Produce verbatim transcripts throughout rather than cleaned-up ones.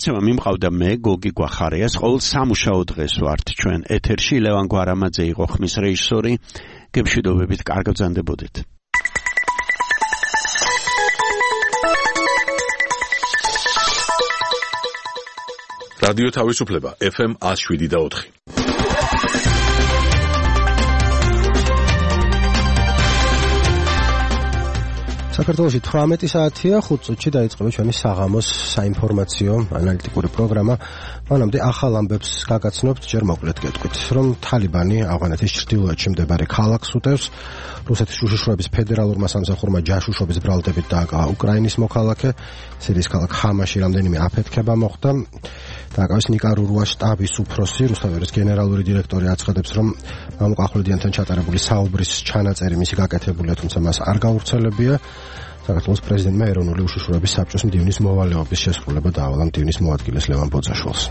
გადმოცემა მიმყავდა მე გოგი გვახარიას, ყოველ სამუშაო დღეს ვართ ჩვენ ეთერში. ლევან გვარამაძე იყო ხმის რეჟისორი. გემშვიდობებით, კარგ ბრძანდებოდეთ. რადიო თავისუფლება ეფ ემ one oh seven და four. საქართველოში თვრამეტი საათია, ხუთ წუთში დაიწყება ჩვენი საღამოს საინფორმაციო ანალიტიკური პროგრამა. მანამდე ახალ ამბებს გაგაცნობთ, ჯერ მოკლედ გეტყვით, რომ თალიბანი ავღანეთის ჩრდილოეთში მდებარე ქალაქს უტევს. რუსეთის უშიშროების ფედერალურმა სამსახურმა ჯაშუშობის ბრალდებით დააკავა უკრაინის მოქალაქე. სირიის ქალაქ ხამაში რამდენიმე აფეთქება მოხდა. დააკავეს ნიკარაგუას შტაბის უფროსი, რუსთაველის გენერალური დირექტორი აცხადებს, რომ მამუკ ახვლედიანთან ჩატარებული საუბრის ჩანაწერი მისი გაკეთებულია, თუმცა მას არ გაავრცელებია. საქართველოს პრეზიდენტმა ეროვნული უშიშროების საბჭოს მდივნის მოვალეობის შესრულება დაავალა მდივნის მოადგილეს ლევან ბოძაშვილს.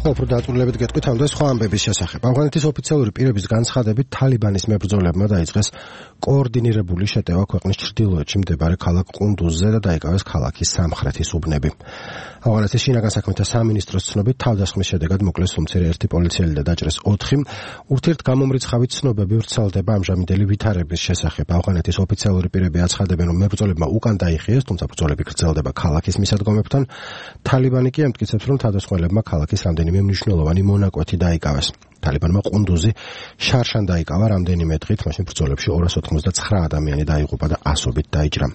უფრო დაწვრილებით გეტყვით ამ და სხვა ამბების შესახებ. ავღანეთის ოფიციალური პირების განცხადებით, თალიბანის მებრძოლებმა დაიწყეს კოორდინირებული შეტევა ქვეყნის ჩრდილოეთში მდებარე ქალაქ ყუნდუზზე და დაიკავეს ქალაქის სამხრეთის უბნები. ავღანეთის შინაგან საქმეთა სამინისტროს ცნობით, თავდასხმის შედეგად მოკლეს უმცირე ერთი პოლიციელი და დაჭრეს ოთხი. ურთიერთგამომრიცხავით ცნობები ვრცელდება ამჟამინდელი ვითარების შესახებ. ავღანეთის ოფიციალური პირები აცხადებენ, რომ მებრძოლებმა უკან დაიხიეს, თუმცა ბრძოლები გრძელდება ქალაქის მისადგომებთან. თალიბანი კი ამტკიცებს, რომ თავდასხმელებმა ქალაქის რამდენიმე მნიშვნელოვანი მონაკვეთი დაიკავეს. თალიბანმა ყუნდუზი შარშან დაიკავა რამდენიმე დღით, მაშინ ბრძოლებში ორას ოთხმოცდათსცხრა ადამიანი დაიღუპა და ასობით დაიჭრა.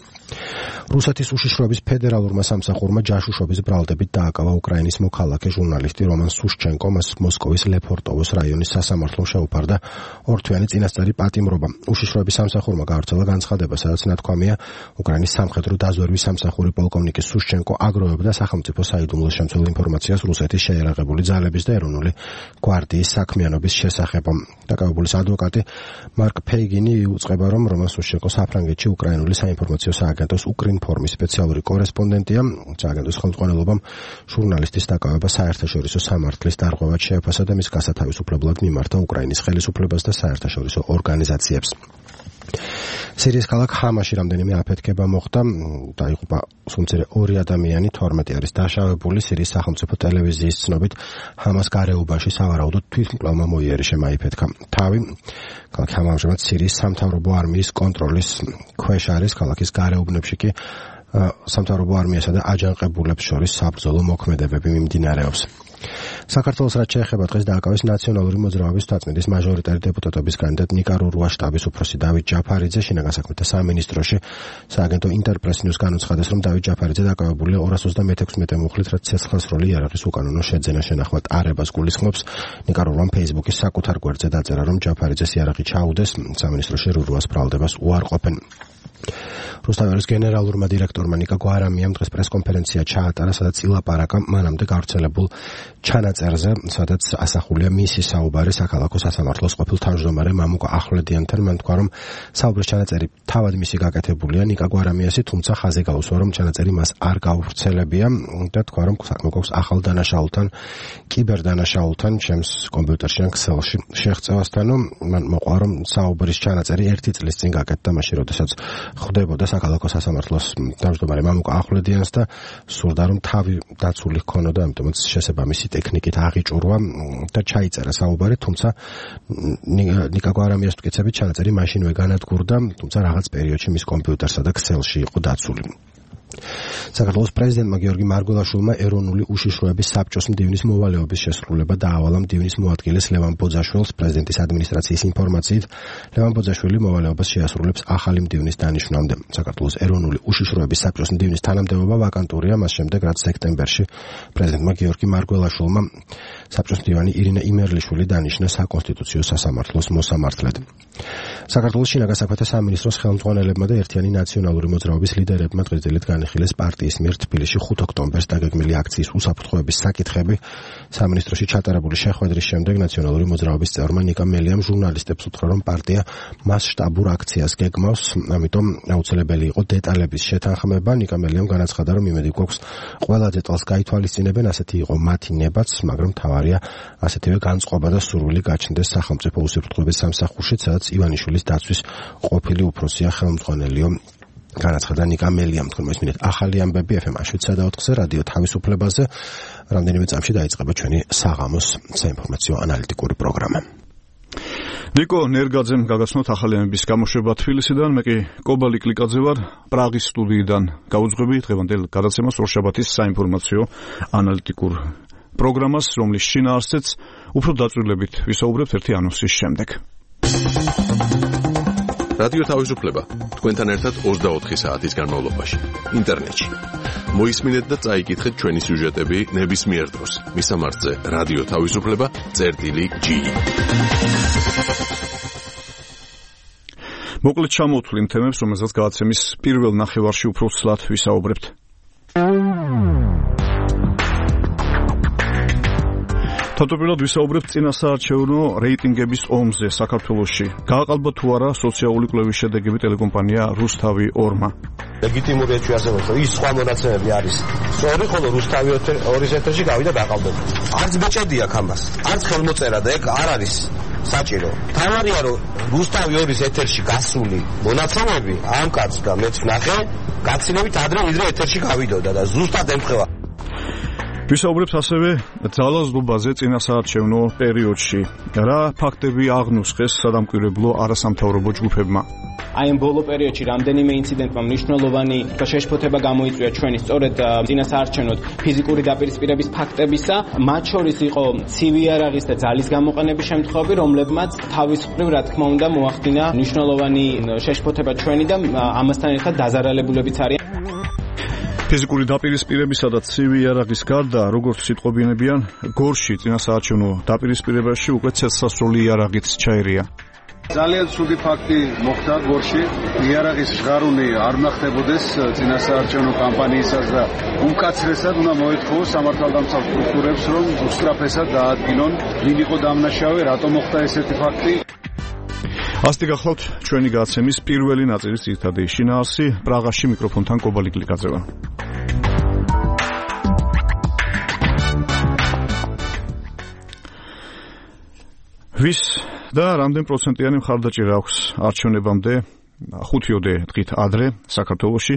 რუსეთის უშიშროების ფედერალურმა სამსახურმა ჯაშუშობის ბრალდებით დააკავა უკრაინის მოქალაქე ჟურნალისტი რომან სუშჩენკო, მას მოსკოვის ლეფორტოვოს რაიონის სასამართლომ შეუფარდა ორთვიანი წინასწარი პატიმრობა. უშიშროების სამსახურმა გაავრცელა განცხადება, სადაც ნათქვამია, უკრაინის სამხედრო დაზვერვის სამსახური პოლკოვნიკი სუშჩენკო აგროვებდა სახელმწიფო საიდუმლოს შემცველ ინფორმაციას რუსეთის შეიარაღებული ძალების და ეროვნული გვარდიის საქმიანობის შესახებ. დაკავებულის ადვოკატი მარკ ფეიგინი უწყება, რომ რომან სუშჩენკო საფრანგეთში უკრაინული საინფორმაციო სააგენტოს უკრინფორმის სპეციალური კორესპონდენტია. სააგენტოს ხელმძღვანელობამ ჟურნალისტის დაკავება საერთაშორისო სამართლის დარღვევად შეაფასა და მის გასათავისუფლებლად მიმართა უკრაინის ხელისუფლებას და საერთაშორისო ორგანიზაციებს. სირიის ქალაქ ხამაში რამდენიმე აფეთქება მოხდა, დაიღუპა სულ ორი ადამიანი, თორმეტი არის დაშავებული. სირიის სახელმწიფო ტელევიზიის ცნობით, ჰამას გარეუბანში სავარაუდოდ თვითმკვლელმა მოიერიშე მაიფეთქა თავი. ქალაქი ჰამა ამჟამად სირიის სამთავრობო არმიის კონტროლის ქვეშ არის. ქალაქის გარეუბნებში კი სამთავრობო არმიასა და აჯანყებულებს შორის საბრძოლო მოქმედებები მიმდინარეობს. საქართველოს რაც შეეხება დღეს დააკავეს ნაციონალური მოძრაობის თვალწმიდის მაჟორიტარი დეპუტატობის კანდიდატ ნიკარაგუას შტაბის უფროსი დავით ჯაფარიძე. შინაგან საქმეთა სამინისტროში სააგენტო ინტერპრეს ნიუს განუცხადეს, რომ დავით ჯაფარიძე დაკავებულია ორას ოცდამექვსმეტე მუხლით, რაც ცეცხლსროლი იარაღის უკანონო შეძენა შენახვა ტარებას გულისხმობს. ნიკარაგუამ ფეისბუქის საკუთარ გვერდზე დაწერა, რომ ჯაფარიძეს იარაღი ჩაუდეს, სამინისტროში რურუას ბრალდებას უარყოფენ. რუსთაველის გენერალურმა დირექტორმა ნიკა გვარამიამ დღეს პრესკონფერენცია ჩაატარა, სადაც ილაპარაკა მანამდე გავრცელებულ ჩანაწერზე, სადაც ასახულია მისი საუბარი საქალაქო სასამართლოს ყოფილ თავმჯდომარე მამუკ ახვლედიანთან. მან თქვა, რომ საუბრის ჩანაწერი თავად მისი გაკეთებულია ნიკა გვარამიასი, თუმცა ხაზი გაუსვა, რომ ჩანაწერი მას არ გავრცელებია და თქვა, რომ საქმე ახალ დანაშაულთან, კიბერდანაშაულთან, ჩემს კომპიუტერში ან ქსელში შეღწევასთანო. მან მოყვა, რომ საუბრის ჩანაწერი ერთი წლის წინ გაკეთდა, მაშინ როდესაც ხვდებოდა საქალაქო სასამართლოს თავმჯდომარე მამუკ ახვლედიანს და სურდა, რომ თავი დაცული ჰქონოდა, ამიტომაც შესაბამისი ტექნიკით აღიჭურვა და ჩაიწერა საუბარი, თუმცა ნიკა გვარამიას მტკიცებით ჩანაწერი მაშინვე განადგურდა, თუმცა რაღაც პერიოდში მის კომპიუტერსა და ქსელში იყო დაცული. საქართველოს პრეზიდენტმა გიორგი მარგველაშვილმა ეროვნული უშიშროების საბჭოს მდივნის მოვალეობის შესრულება დაავალა მდივნის მოადგილეს ლევან ბოძაშვილს. პრეზიდენტის ადმინისტრაციის ინფორმაციით, ლევან ბოძაშვილი მოვალეობას შეასრულებს ახალი მდივნის დანიშვნამდე. საქართველოს ეროვნული უშიშროების საბჭოს მდივნის თანამდებობა ვაკანტურია მას შემდეგ, რაც სექტემბერში პრეზიდენტმა გიორგი მარგველაშვილმა საბჭოს მდივანი ირინა იმერლიშვილი დანიშნა საკონსტიტუციო სასამართლოს მოსამართლედ. საქართველოს შინაგან საქმეთა სამინისტროს ხელმძღვანელებმა და ერთიანი ნაციონალური მოძრაობის ლიდერებმა დღეს დილით განიხილეს განიხილეს პარტიის მიერ თბილისში ხუთ ოქტომბერს დაგეგმილი აქციის უსაფრთხოების საკითხები. სამინისტროში ჩატარებული შეხვედრის შემდეგ ნაციონალური მოძრაობის წევრმა ნიკა მელიამ ჟურნალისტებს უთხრა, რომ პარტია მასშტაბურ აქციას გეგმავს, ამიტომ აუცილებელი იყო დეტალების შეთანხმება. ნიკა მელიამ განაცხადა, რომ იმედი გვაქვს ყველა დეტალს გაითვალისწინებენ, ასეთი იყო მათი ნებაც, მაგრამ მთავარია ასეთივე განწყობა და სურვილი გაჩნდეს სახელმწიფო უსაფრთხოების სამსახურშიც, სადაც ივანიშვილის დაცვის ყოფილი უფროსია ხელმძღვანელიო. განაცხადა ნიკა მელიამ. თქვენ მოსმინეთ ახალი ამბები ეფ ემ შვიდ და ოთხზე რადიო თავისუფლებაზე. რამდენიმე წამში დაიწყება ჩვენი საღამოს საინფორმაციო ანალიტიკური პროგრამა. ნიკო ნერგაძემ გაგაცნოთ ახალი ამბების გამოშვება თბილისიდან, მე კი კობალი კლიკაძე ვარ, პრაღის სტუდიიდან გავუძღვები დღევანდელ გადაცემას ორშაბათის საინფორმაციო ანალიტიკურ პროგრამას, რომლის შინაარსიც უფრო დაწვრილებით ვისაუბრებთ ერთი ანონსის შემდეგ. რადიო თავისუფლება თქვენთან ერთად ოცდაოთხი საათის განმავლობაში ინტერნეტში. მოისმინეთ და წაიკითხეთ ჩვენი სიუჟეტები ნებისმიერ დროს. მისამართზე რადიო თავისუფლება წერტილი ჯი. მოკლედ ჩამოვთვლი იმ თემებს, რომელზეც გადაცემის პირველ ნახევარში უფრო ცლად ვისაუბრებთ. თავდაპირველად ვისაუბრებთ წინასაარჩევნო რეიტინგების ომზე საქართველოში. გააყალბა თუ არა სოციალური კვლევის შედეგები ტელეკომპანია რუსთავი ორმა. ლეგიტიმურია ჩვენ ასე ვთქვათ, ის სხვა მონაცემები არის. სწორი, ხოლო რუსთავი ორის ეთერში გავიდა დაყალბება. არც ბეჭედი აქვს ამას, არც ხელმოწერა და ეგ არ არის საჭირო. თავარია რომ რუსთავი ორის ეთერში გასული მონაცემები ამ კაცს და მეც ვნახე, გაცილებით ადრე ვიდრე ეთერში გავიდოდა და ზუსტად ემთხვევა. ვისაუბრებთ ასევე ძალაზრდობაზე წინასაარჩევნო პერიოდში. რა ფაქტები აღნუსხეს სადამკვირვებლო არასამთავრობო ჯგუფებმა? აი ამ ბოლო პერიოდში რამდენიმე ინციდენტმა მნიშვნელოვანი შეშფოთება გამოიწვია ჩვენი სწორედ წინასაარჩევნოდ ფიზიკური დაპირისპირების ფაქტებისა, მათ შორის იყო ცივი იარაღის და ძალის გამოყენების შემთხვევები, რომლებმაც თავისუფლად რა თქმა უნდა მოახდინა მნიშვნელოვანი შეშფოთება ჩვენი და ამასთან ერთად დაზარალებულებიც არიან. ფიზიკური დაპირისპირებისა და ცივი იარაღის გარდა, როგორც სიტყვობინებიან, გორში წინასაარჩევნო დაპირისპირებაში უკვე ცეცხლსასროლი იარაღიც ჩაერია. ძალიან ცუდი ფაქტი მოხდა გორში. იარაღის ჟღარუნი არ ნახდებოდეს წინასაარჩევნო კამპანიისას და უმკაცრესად უნდა მოეთხოვოს სამართალდამცავ სტრუქტურებს, რომ უსწრაფესად დაადგინონ, ვინ იყო დამნაშავე, რატომ მოხდა ესეთი ფაქტი. ასეთი გახლავთ ჩვენი გადაცემის პირველი ნაწილის ძირითადი შინაარსი. პრაღაში მიკროფონთან კობალი კლიკაძე ვარ. ვის და რამდენ პროცენტიანი მხარდაჭერა აქვს არჩევნებამდე ხუთიოდე დღით ადრე საქართველოში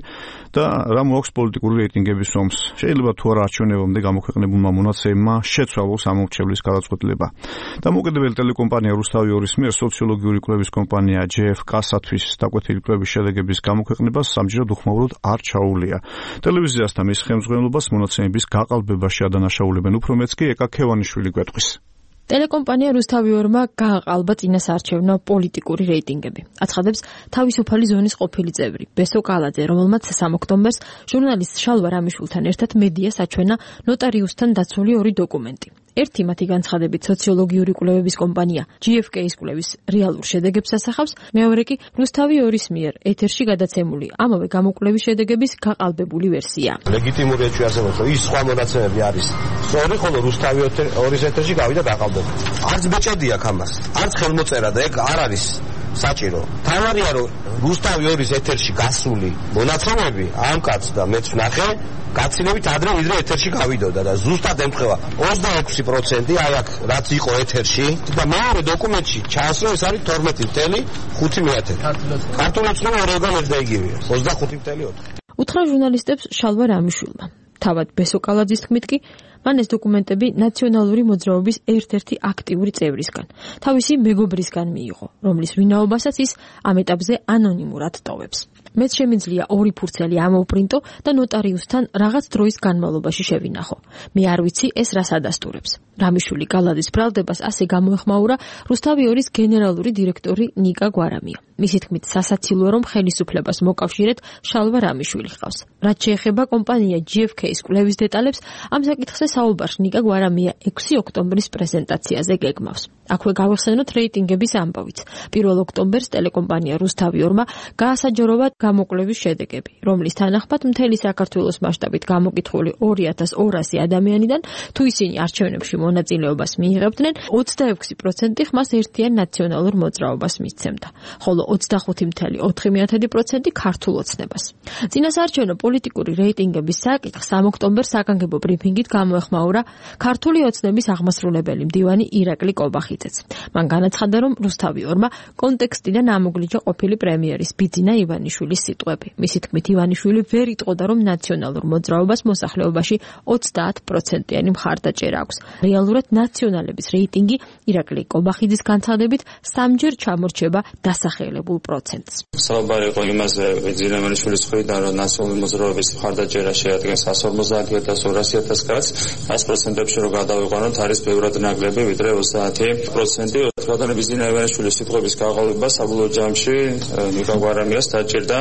და რა მოაქვს პოლიტიკური რეიტინგების ომს. შეიძლება თუ არა არჩევნებამდე გამოქვეყნებულმა მონაცემებმა შეცვალოს ამორჩევლის გადაწყვეტილება. დამოუკიდებელი ტელეკომპანია რუსთავი ორის მიერ სოციოლოგიური კვლევის კომპანია ჯი ეფ კას-თვის დაკვეთილი კვლევის შედეგების გამოქვეყნებას სამჯერად უხმაუროდ არ ჩაუვლია. ტელევიზიასთან მის ხელმძღვანელობას მონაცემების გაყალბებაში ადანაშაულებენ, უფრო მეც კი ეკა ქევანიშვილი გვეტყვის. ტელეკომპანია რუსთავი ორმა გააყალბა წინასაარჩევნო პოლიტიკური რეიტინგები. აცხადებს თავისუფალი ზონის ყოფილი წევრი ბესო კალაძე, რომელმაც სამ ოქტომბერს ჟურნალისტ შალვა რამიშვილთან ერთად მედიას აჩვენა ნოტარიუსთან დაცული ორი დოკუმენტი. ერთი მათი განცხადებით სოციოლოგიური კვლევების კომპანია ჯი ეფ კეის კვლევის რეალურ შედეგებს ასახავს, მეორე კი რუსთავი ორის მიერ ეთერში გადაცემული ამავე გამოკვლევის შედეგების გაყალბებული ვერსია. ლეგიტიმურია ჩვენ ასე ვთქვათ, ის სხვა მონაცემები არის. სწორი, ხოლო რუსთავი ორის ეთერში გავიდა დაყალბება. არც ბეჭედი აქვს ამას, არც ხელმოწერა და ეგ არ არის საჭირო. თავარია რომ რუსთავი ორის ეთერში გასული მონაცემები ამ კაცს და მეც ვნახე, გაცილებით ადრე ვიდრე ეთერში გავიდოდა და ზუსტად ემთხვევა ოცდაექვსი პროცენტი აი აქ რაც იყო ეთერში და მეორე დოკუმენტში ჩანს რომ ეს არის თორმეტი წელი ხუთი მეათე. ქართულებს რომ ორგან ერთ და იგივეა ოცდახუთი წელი ოთხი. უთხრა ჟურნალისტებს შალვა რამიშვილმა. თავად ბესო კალაძის თქმით კი მან ეს დოკუმენტები ნაციონალური მოძრაობის ერთ-ერთი აქტიური წევრისგან, თავისი მეგობრისგან მიიღო, რომლის ვინაობასაც ის ამ ეტაპზე ანონიმურად ტოვებს. მეც შემიძლია ორი ფურცელი ამოვპრინტო და ნოტარიუსთან რაღაც დროის განმავლობაში შევინახო. მე არ ვიცი ეს რას ადასტურებს. რამიშვილი კალაძის ბრალდებას ასე გამოეხმაურა რუსთავი ორის გენერალური დირექტორი ნიკა გვარამია. მისი თქმით, სასაცილოა რომ ხელისუფლებას მოკავშირეთ შალვა რამიშვილი ხავს. რაც შეეხება კომპანია ჯი ეფ კეის კვლევის დეტალებს, ამ საკითხზე საუბარს ნიკა გვარამია ექვსი ოქტომბრის პრეზენტაციაზე გეგმავს. აქვე გავიხსენოთ რეიტინგების ამბავიც. პირველ ოქტომბერს ტელეკომპანია რუსთავი-ორმა გაასაჯაროვა გამოკვლევის შედეგები, რომლის თანახმად მთელი საქართველოს მასშტაბით გამოკითხული ორი ათას ორასი ადამიანიდან თუ ისინი არჩევნებში მონაწილეობას მიიღებდნენ, ოცდაექვსი პროცენტი ხმას ერთიან ნაციონალურ მოძრაობას მისცემდა, ხოლო ოცდახუთი წამყვანი ოთხი პროცენტი ქართულ ოცნებას. წინასაარჩევნო პოლიტიკური რეიტინგების საკითხს ამ ოქტომბერს საგანგებო ბრიფინგით გამოეხმაურა ქართული ოცნების აღმასრულებელი მდივანი ირაკლი კობახიძეც. მან განაცხადა, რომ რუსთავი-ორმა კონტექსტიდან ამოგლიჯა ყოფილი პრემიერის ბიძინა ივანიშვილის სიტყვები. მისი თქმით, ივანიშვილი ვერ იტყოდა, რომ ნაციონალურ მოძრაობას მოსახლეობაში ოცდაათ პროცენტიანი მხარდაჭერა აქვს. რეალურად ნაციონალების რეიტინგი ირაკლი კობახიძის განცხადებით სამჯერ ჩამორჩება დასახელებულ პროცენტს. საუბარი იყო იმაზე, ბიძინა ივანიშვილის მხრიდან, რომ ნაციონალური მოძრაობის მხარდაჭერა შეადგენს εκατს ორმოცდაათი ათას ორასი ათას კაცს, ას პროცენტებში რო გადავიყვანოთ, არის ბევრად ნაკლები, ვიდრე ოცდაათი პროცენტი. ბატონი ბიძინა ივანიშვილის სიტყვების გაყალბება საბოლოო ჯამში ნიკა გვარამიას დაჭირდა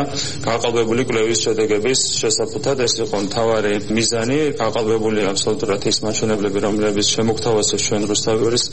გაყალბებული კვლევის შედეგების შესაფუთად. ეს იყო მთავარი მიზანი, გაყალბებული აბსოლუტურად ის მაჩვენებლები, რომლებიც შემოგთავაზეს ჩვენ რუსთავი-ორის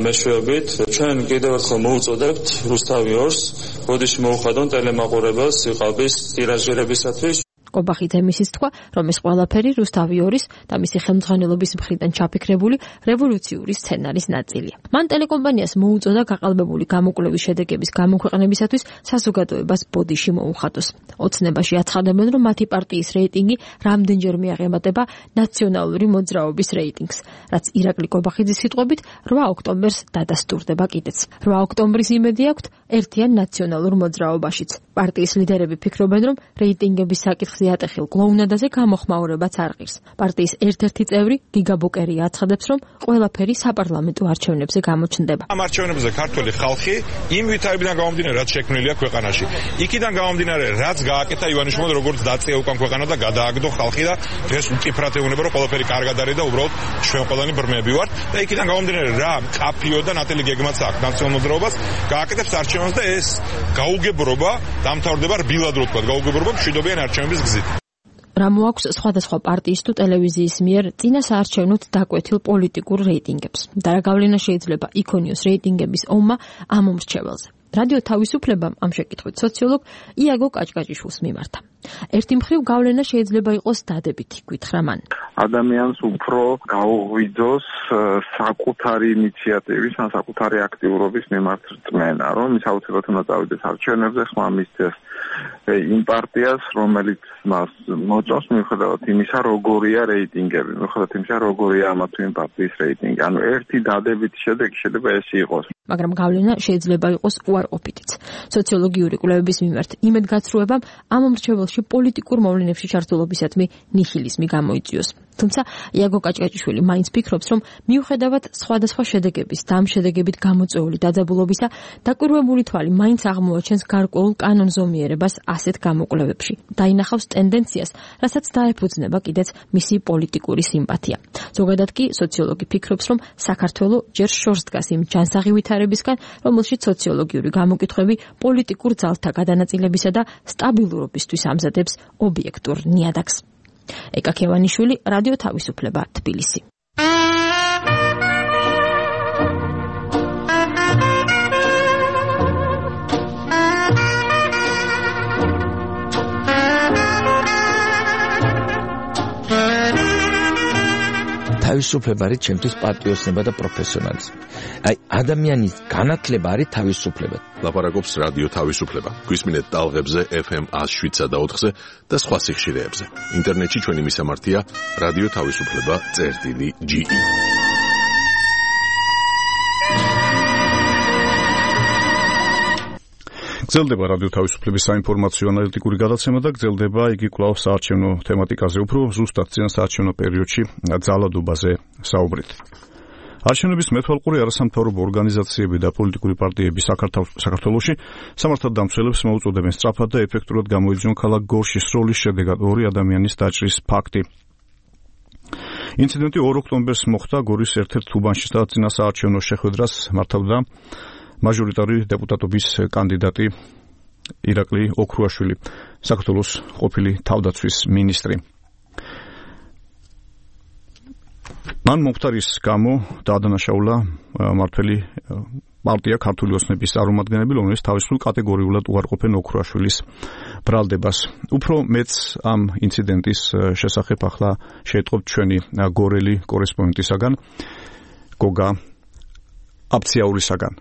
მეშვეობით. ჩვენ კიდევ ერთხელ მოუწოდებთ რუსთავი-ორს, ბოდიში მოუხადონ ტელემაყურებელს სიყალბის ტირაჟირებისათვის. კობახიძე მისის თქვა, რომ ეს ყველაფერი რუსთავი-ორის და მისი ხელმძღვანელობის მხრიდან ჩაფიქრებული რევოლუციური სცენარის ნაწილია. მან ტელეკომპანიას მოუწოდა გაყალბებული გამოკვლევის შედეგების გამოქვეყნებისათვის საზოგადოებას ბოდიში მოუხადოს. ოცნებაში აცხადებენ, რომ მათი პარტიის რეიტინგი რამდენჯერმე აღემატება ნაციონალური მოძრაობის რეიტინგს, რაც ირაკლი კობახიძის სიტყვებით რვა ოქტომბერს დადასტურდება კიდეც. რვა ოქტომბრის იმედი აქვთ ერთიან ნაციონალურ მოძრაობაშიც. პარტიის ლიდერები ფიქრობენ, რომ რეიტინგების საკითხს ატეხილ კლოუნადაზე გამოხმაურებაც არ ღირს. პარტიის ერთ-ერთი წევრი გიგა ბოკერია აცხადებს, რომ ყველაფერი საპარლამენტო არჩევნებზე გამოჩნდება. ამ არჩევნებზე ქართველი ხალხი იმ ვითარებიდან გამომდინარე, რაც შექმნილია ქვეყანაში. იქიდან გამომდინარე, რაც გააკეთა ივანიშვილმა, როგორც დაწია უკან ქვეყანა და გადააგდო ხალხი და დღეს უკიფრათ ეუბნება, რომ ყველაფერი კარგად არის და უბრალოდ ჩვენ ყველანი ბრმები ვართ და იქიდან გამომდინარე, რა კაფიო და ნატელი გეგმაც აქვს ნაციონალურ მოძრაობას, გააკეთებს არჩევნებს და ეს გაუგებრობა დამთავრდება რბილად რო თქვა, გაუგებრობა მშვიდობიან არჩევნების გზით. რა მოაქვს სხვადასხვა პარტიის თუ ტელევიზიის მიერ წინასაარჩევნოდ დაკვეთილ პოლიტიკურ რეიტინგებს და რა გავლენა შეიძლება იქონიოს რეიტინგების ომმა ამ მომრჩეველზე. რადიო თავისუფლებამ ამ შეკითხვით სოციოლოგ იაგო კაჭკაჭიშვილს მიმართა. ერთი მხრივ გავლენა შეიძლება იყოს დადებითი, გითხრა მან. ადამიანს უფრო გაუღვიძოს საკუთარი ინიციატივის ან საკუთარი აქტიურობის მიმართ რწმენა, რომ ის აუცილებლად უნდა წავიდეს არჩევნებზე, ხმა მისცეს იმ პარტიას, რომელიც მას მოწონს, მიუხედავად იმისა, როგორია რეიტინგები, მიუხედავად იმისა, როგორია ამა თუ იმ პარტიის რეიტინგი. ანუ ერთი დადებითი შედეგი შეიძლება ეს იყოს. მაგრამ გავლენა შეიძლება იყოს უარყოფითიც. სოციოლოგიური კვლევების მიმართ იმედგაცრუებამ ამ მომრჩეველში პოლიტიკურ მოვლენებში ჩართულობისადმი ნიჰილიზმი გამოიწვიოს. თუმცა იაგო კაჭკაჭიშვილი მაინც ფიქრობს, რომ მიუხედავად სხვადასხვა შედეგების და ამ შედეგებით გამოწვეული დაძაბულობისა, დაკვირვებული თვალი მაინც აღმოაჩენს გარკვეულ კანონზომიერებას ასეთ გამოკვლევებში. დაინახავს ტენდენციას, რასაც დაეფუძნება კიდეც მისი პოლიტიკური სიმპათია. ზოგადად კი სოციოლოგი ფიქრობს, რომ საქართველო ჯერ შორს დგას იმ ჯანსაღი ვითარებისგან, რომელშიც სოციოლოგიური გამოკითხვები პოლიტიკურ ძალთა გადანაწილებისა და სტაბილურობისთვის ამზადებს ობიექტურ ნიადაგს. ეკა ქევანიშვილი, რადიო თავისუფლება, თბილისი. თავისუფლება არის ჩემთვის პატრიოტიზმი და პროფესიონალიზმი. აი, ადამიანის განათლება არის თავისუფლება. ლაპარაკობს რადიო თავისუფლება. გვისმინეთ ტალღებზე ეფ ემ ათს შვიდსა და ოთხზე და სხვა სიხშირეებზე. ინტერნეტში ჩვენი მისამართია რადიო თავისუფლება წერტილი ჯი ი. გრძელდება რადიო თავისუფლების საინფორმაციო ანალიტიკური გადაცემა და გრძელდება იგი კვლავ საარჩევნო თემატიკაზე, უფრო ზუსტად წინასაარჩევნო პერიოდში ძალადობაზე საუბრით. არჩევნების მეთვალყური არასამთავრობო ორგანიზაციები და პოლიტიკური პარტიები საქართველოში სამართალდამცველებს მოუწოდებენ სწრაფად და ეფექტურად გამოიძიონ ქალაქ გორშის სროლის შედეგად ორი ადამიანის დაჭრის ფაქტი. ინციდენტი ორ ოქტომბერს მოხდა გორის ერთ-ერთ უბანში და წინასაარჩევნო შეხვედრას მართავდა მაჟორიტარი დეპუტატობის კანდიდატი ირაკლი ოქრუაშვილი, საქართველოს ყოფილი თავდაცვის მინისტრი. მან მომხდარის გამო დაადანაშაულა მართლი პარტია ქართული ოცნების წარმომადგენლები, რომელიც თავისუფლ კატეგორიულად უარყოფენ ოქროაშვილის ბრალდებას. უფრო მეც ამ ინციდენტის შესახებ ახლა შეეტყობთ ჩვენი გორელი კორესპონდენტისაგან, გოგა აფციაურისაგან.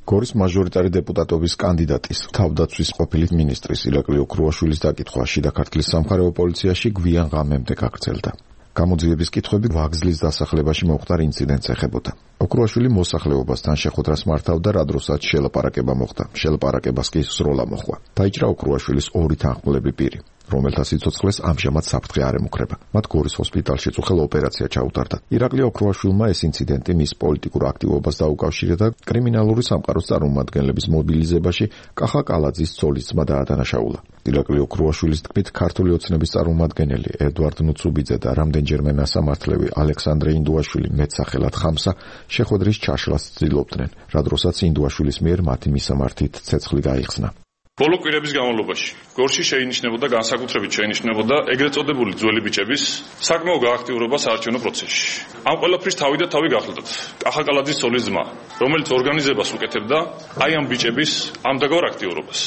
გორის მაჟორიტარი დეპუტატობის კანდიდატის თავდაცვის ყოფილი მინისტრის ირაკლი ოქროაშვილის დაკითხვა შიდა ქართლის სამხარეო პოლიციაში გვიან ღამემდე გაგრძელდა. გამოძიების კითხვები ვაგზლის დასახლებაში მომხდარ ინციდენტს ეხებოდა. ოქროაშვილი მოსახლეობასთან შეხვედრას მართავდა, რა დროსაც შელაპარაკება მოხდა. შელაპარაკებას კი სროლა მოხდა. დაიჭრა ოქროაშვილის ორი თანხმულები პირი, რომელთა სიცოცხლეს ამჟამად საფრთხე არ ემუქრება. მათ გორის ჰოსპიტალში წუხელ ოპერაცია ჩაუტარდა. ირაკლი ოქროაშვილმა ეს ინციდენტი მის პოლიტიკურ აქტივობას დაუკავშირა და კრიმინალური სამყაროს წარმომადგენლების მობილიზებაში კახა კალაძის ცოლის ძმა დაადანაშაულა. ირაკლი ოქროაშვილის თქმით, ქართული ოცნების წარმომადგენელი ედვარდ ნუცუბიძე და რამდენჯერმე მასამართლევი ალექსანდრე ინდუაშვილი მეტსახელად ხამსა შეხვედრის ჩაშლას ცდილობდნენ, რა დროსაც ინდუაშვილის მიერ მათი მისამართით ცეცხლი გაიხსნა. ბოლო კვირების განმავლობაში გორში შეინიშნებოდა განსაკუთრებით შეინიშნებოდა ეგრეთ წოდებული ძველი ბიჭების საკმაო გააქტიურება საარჩევნო პროცესში. ამ ყველაფრის თავი და თავი გახლდათ კახა კალაძის ცოლის ძმა, რომელიც ორგანიზებას უკეთებდა აი ამ ბიჭების ამდაგარ აქტიურობას.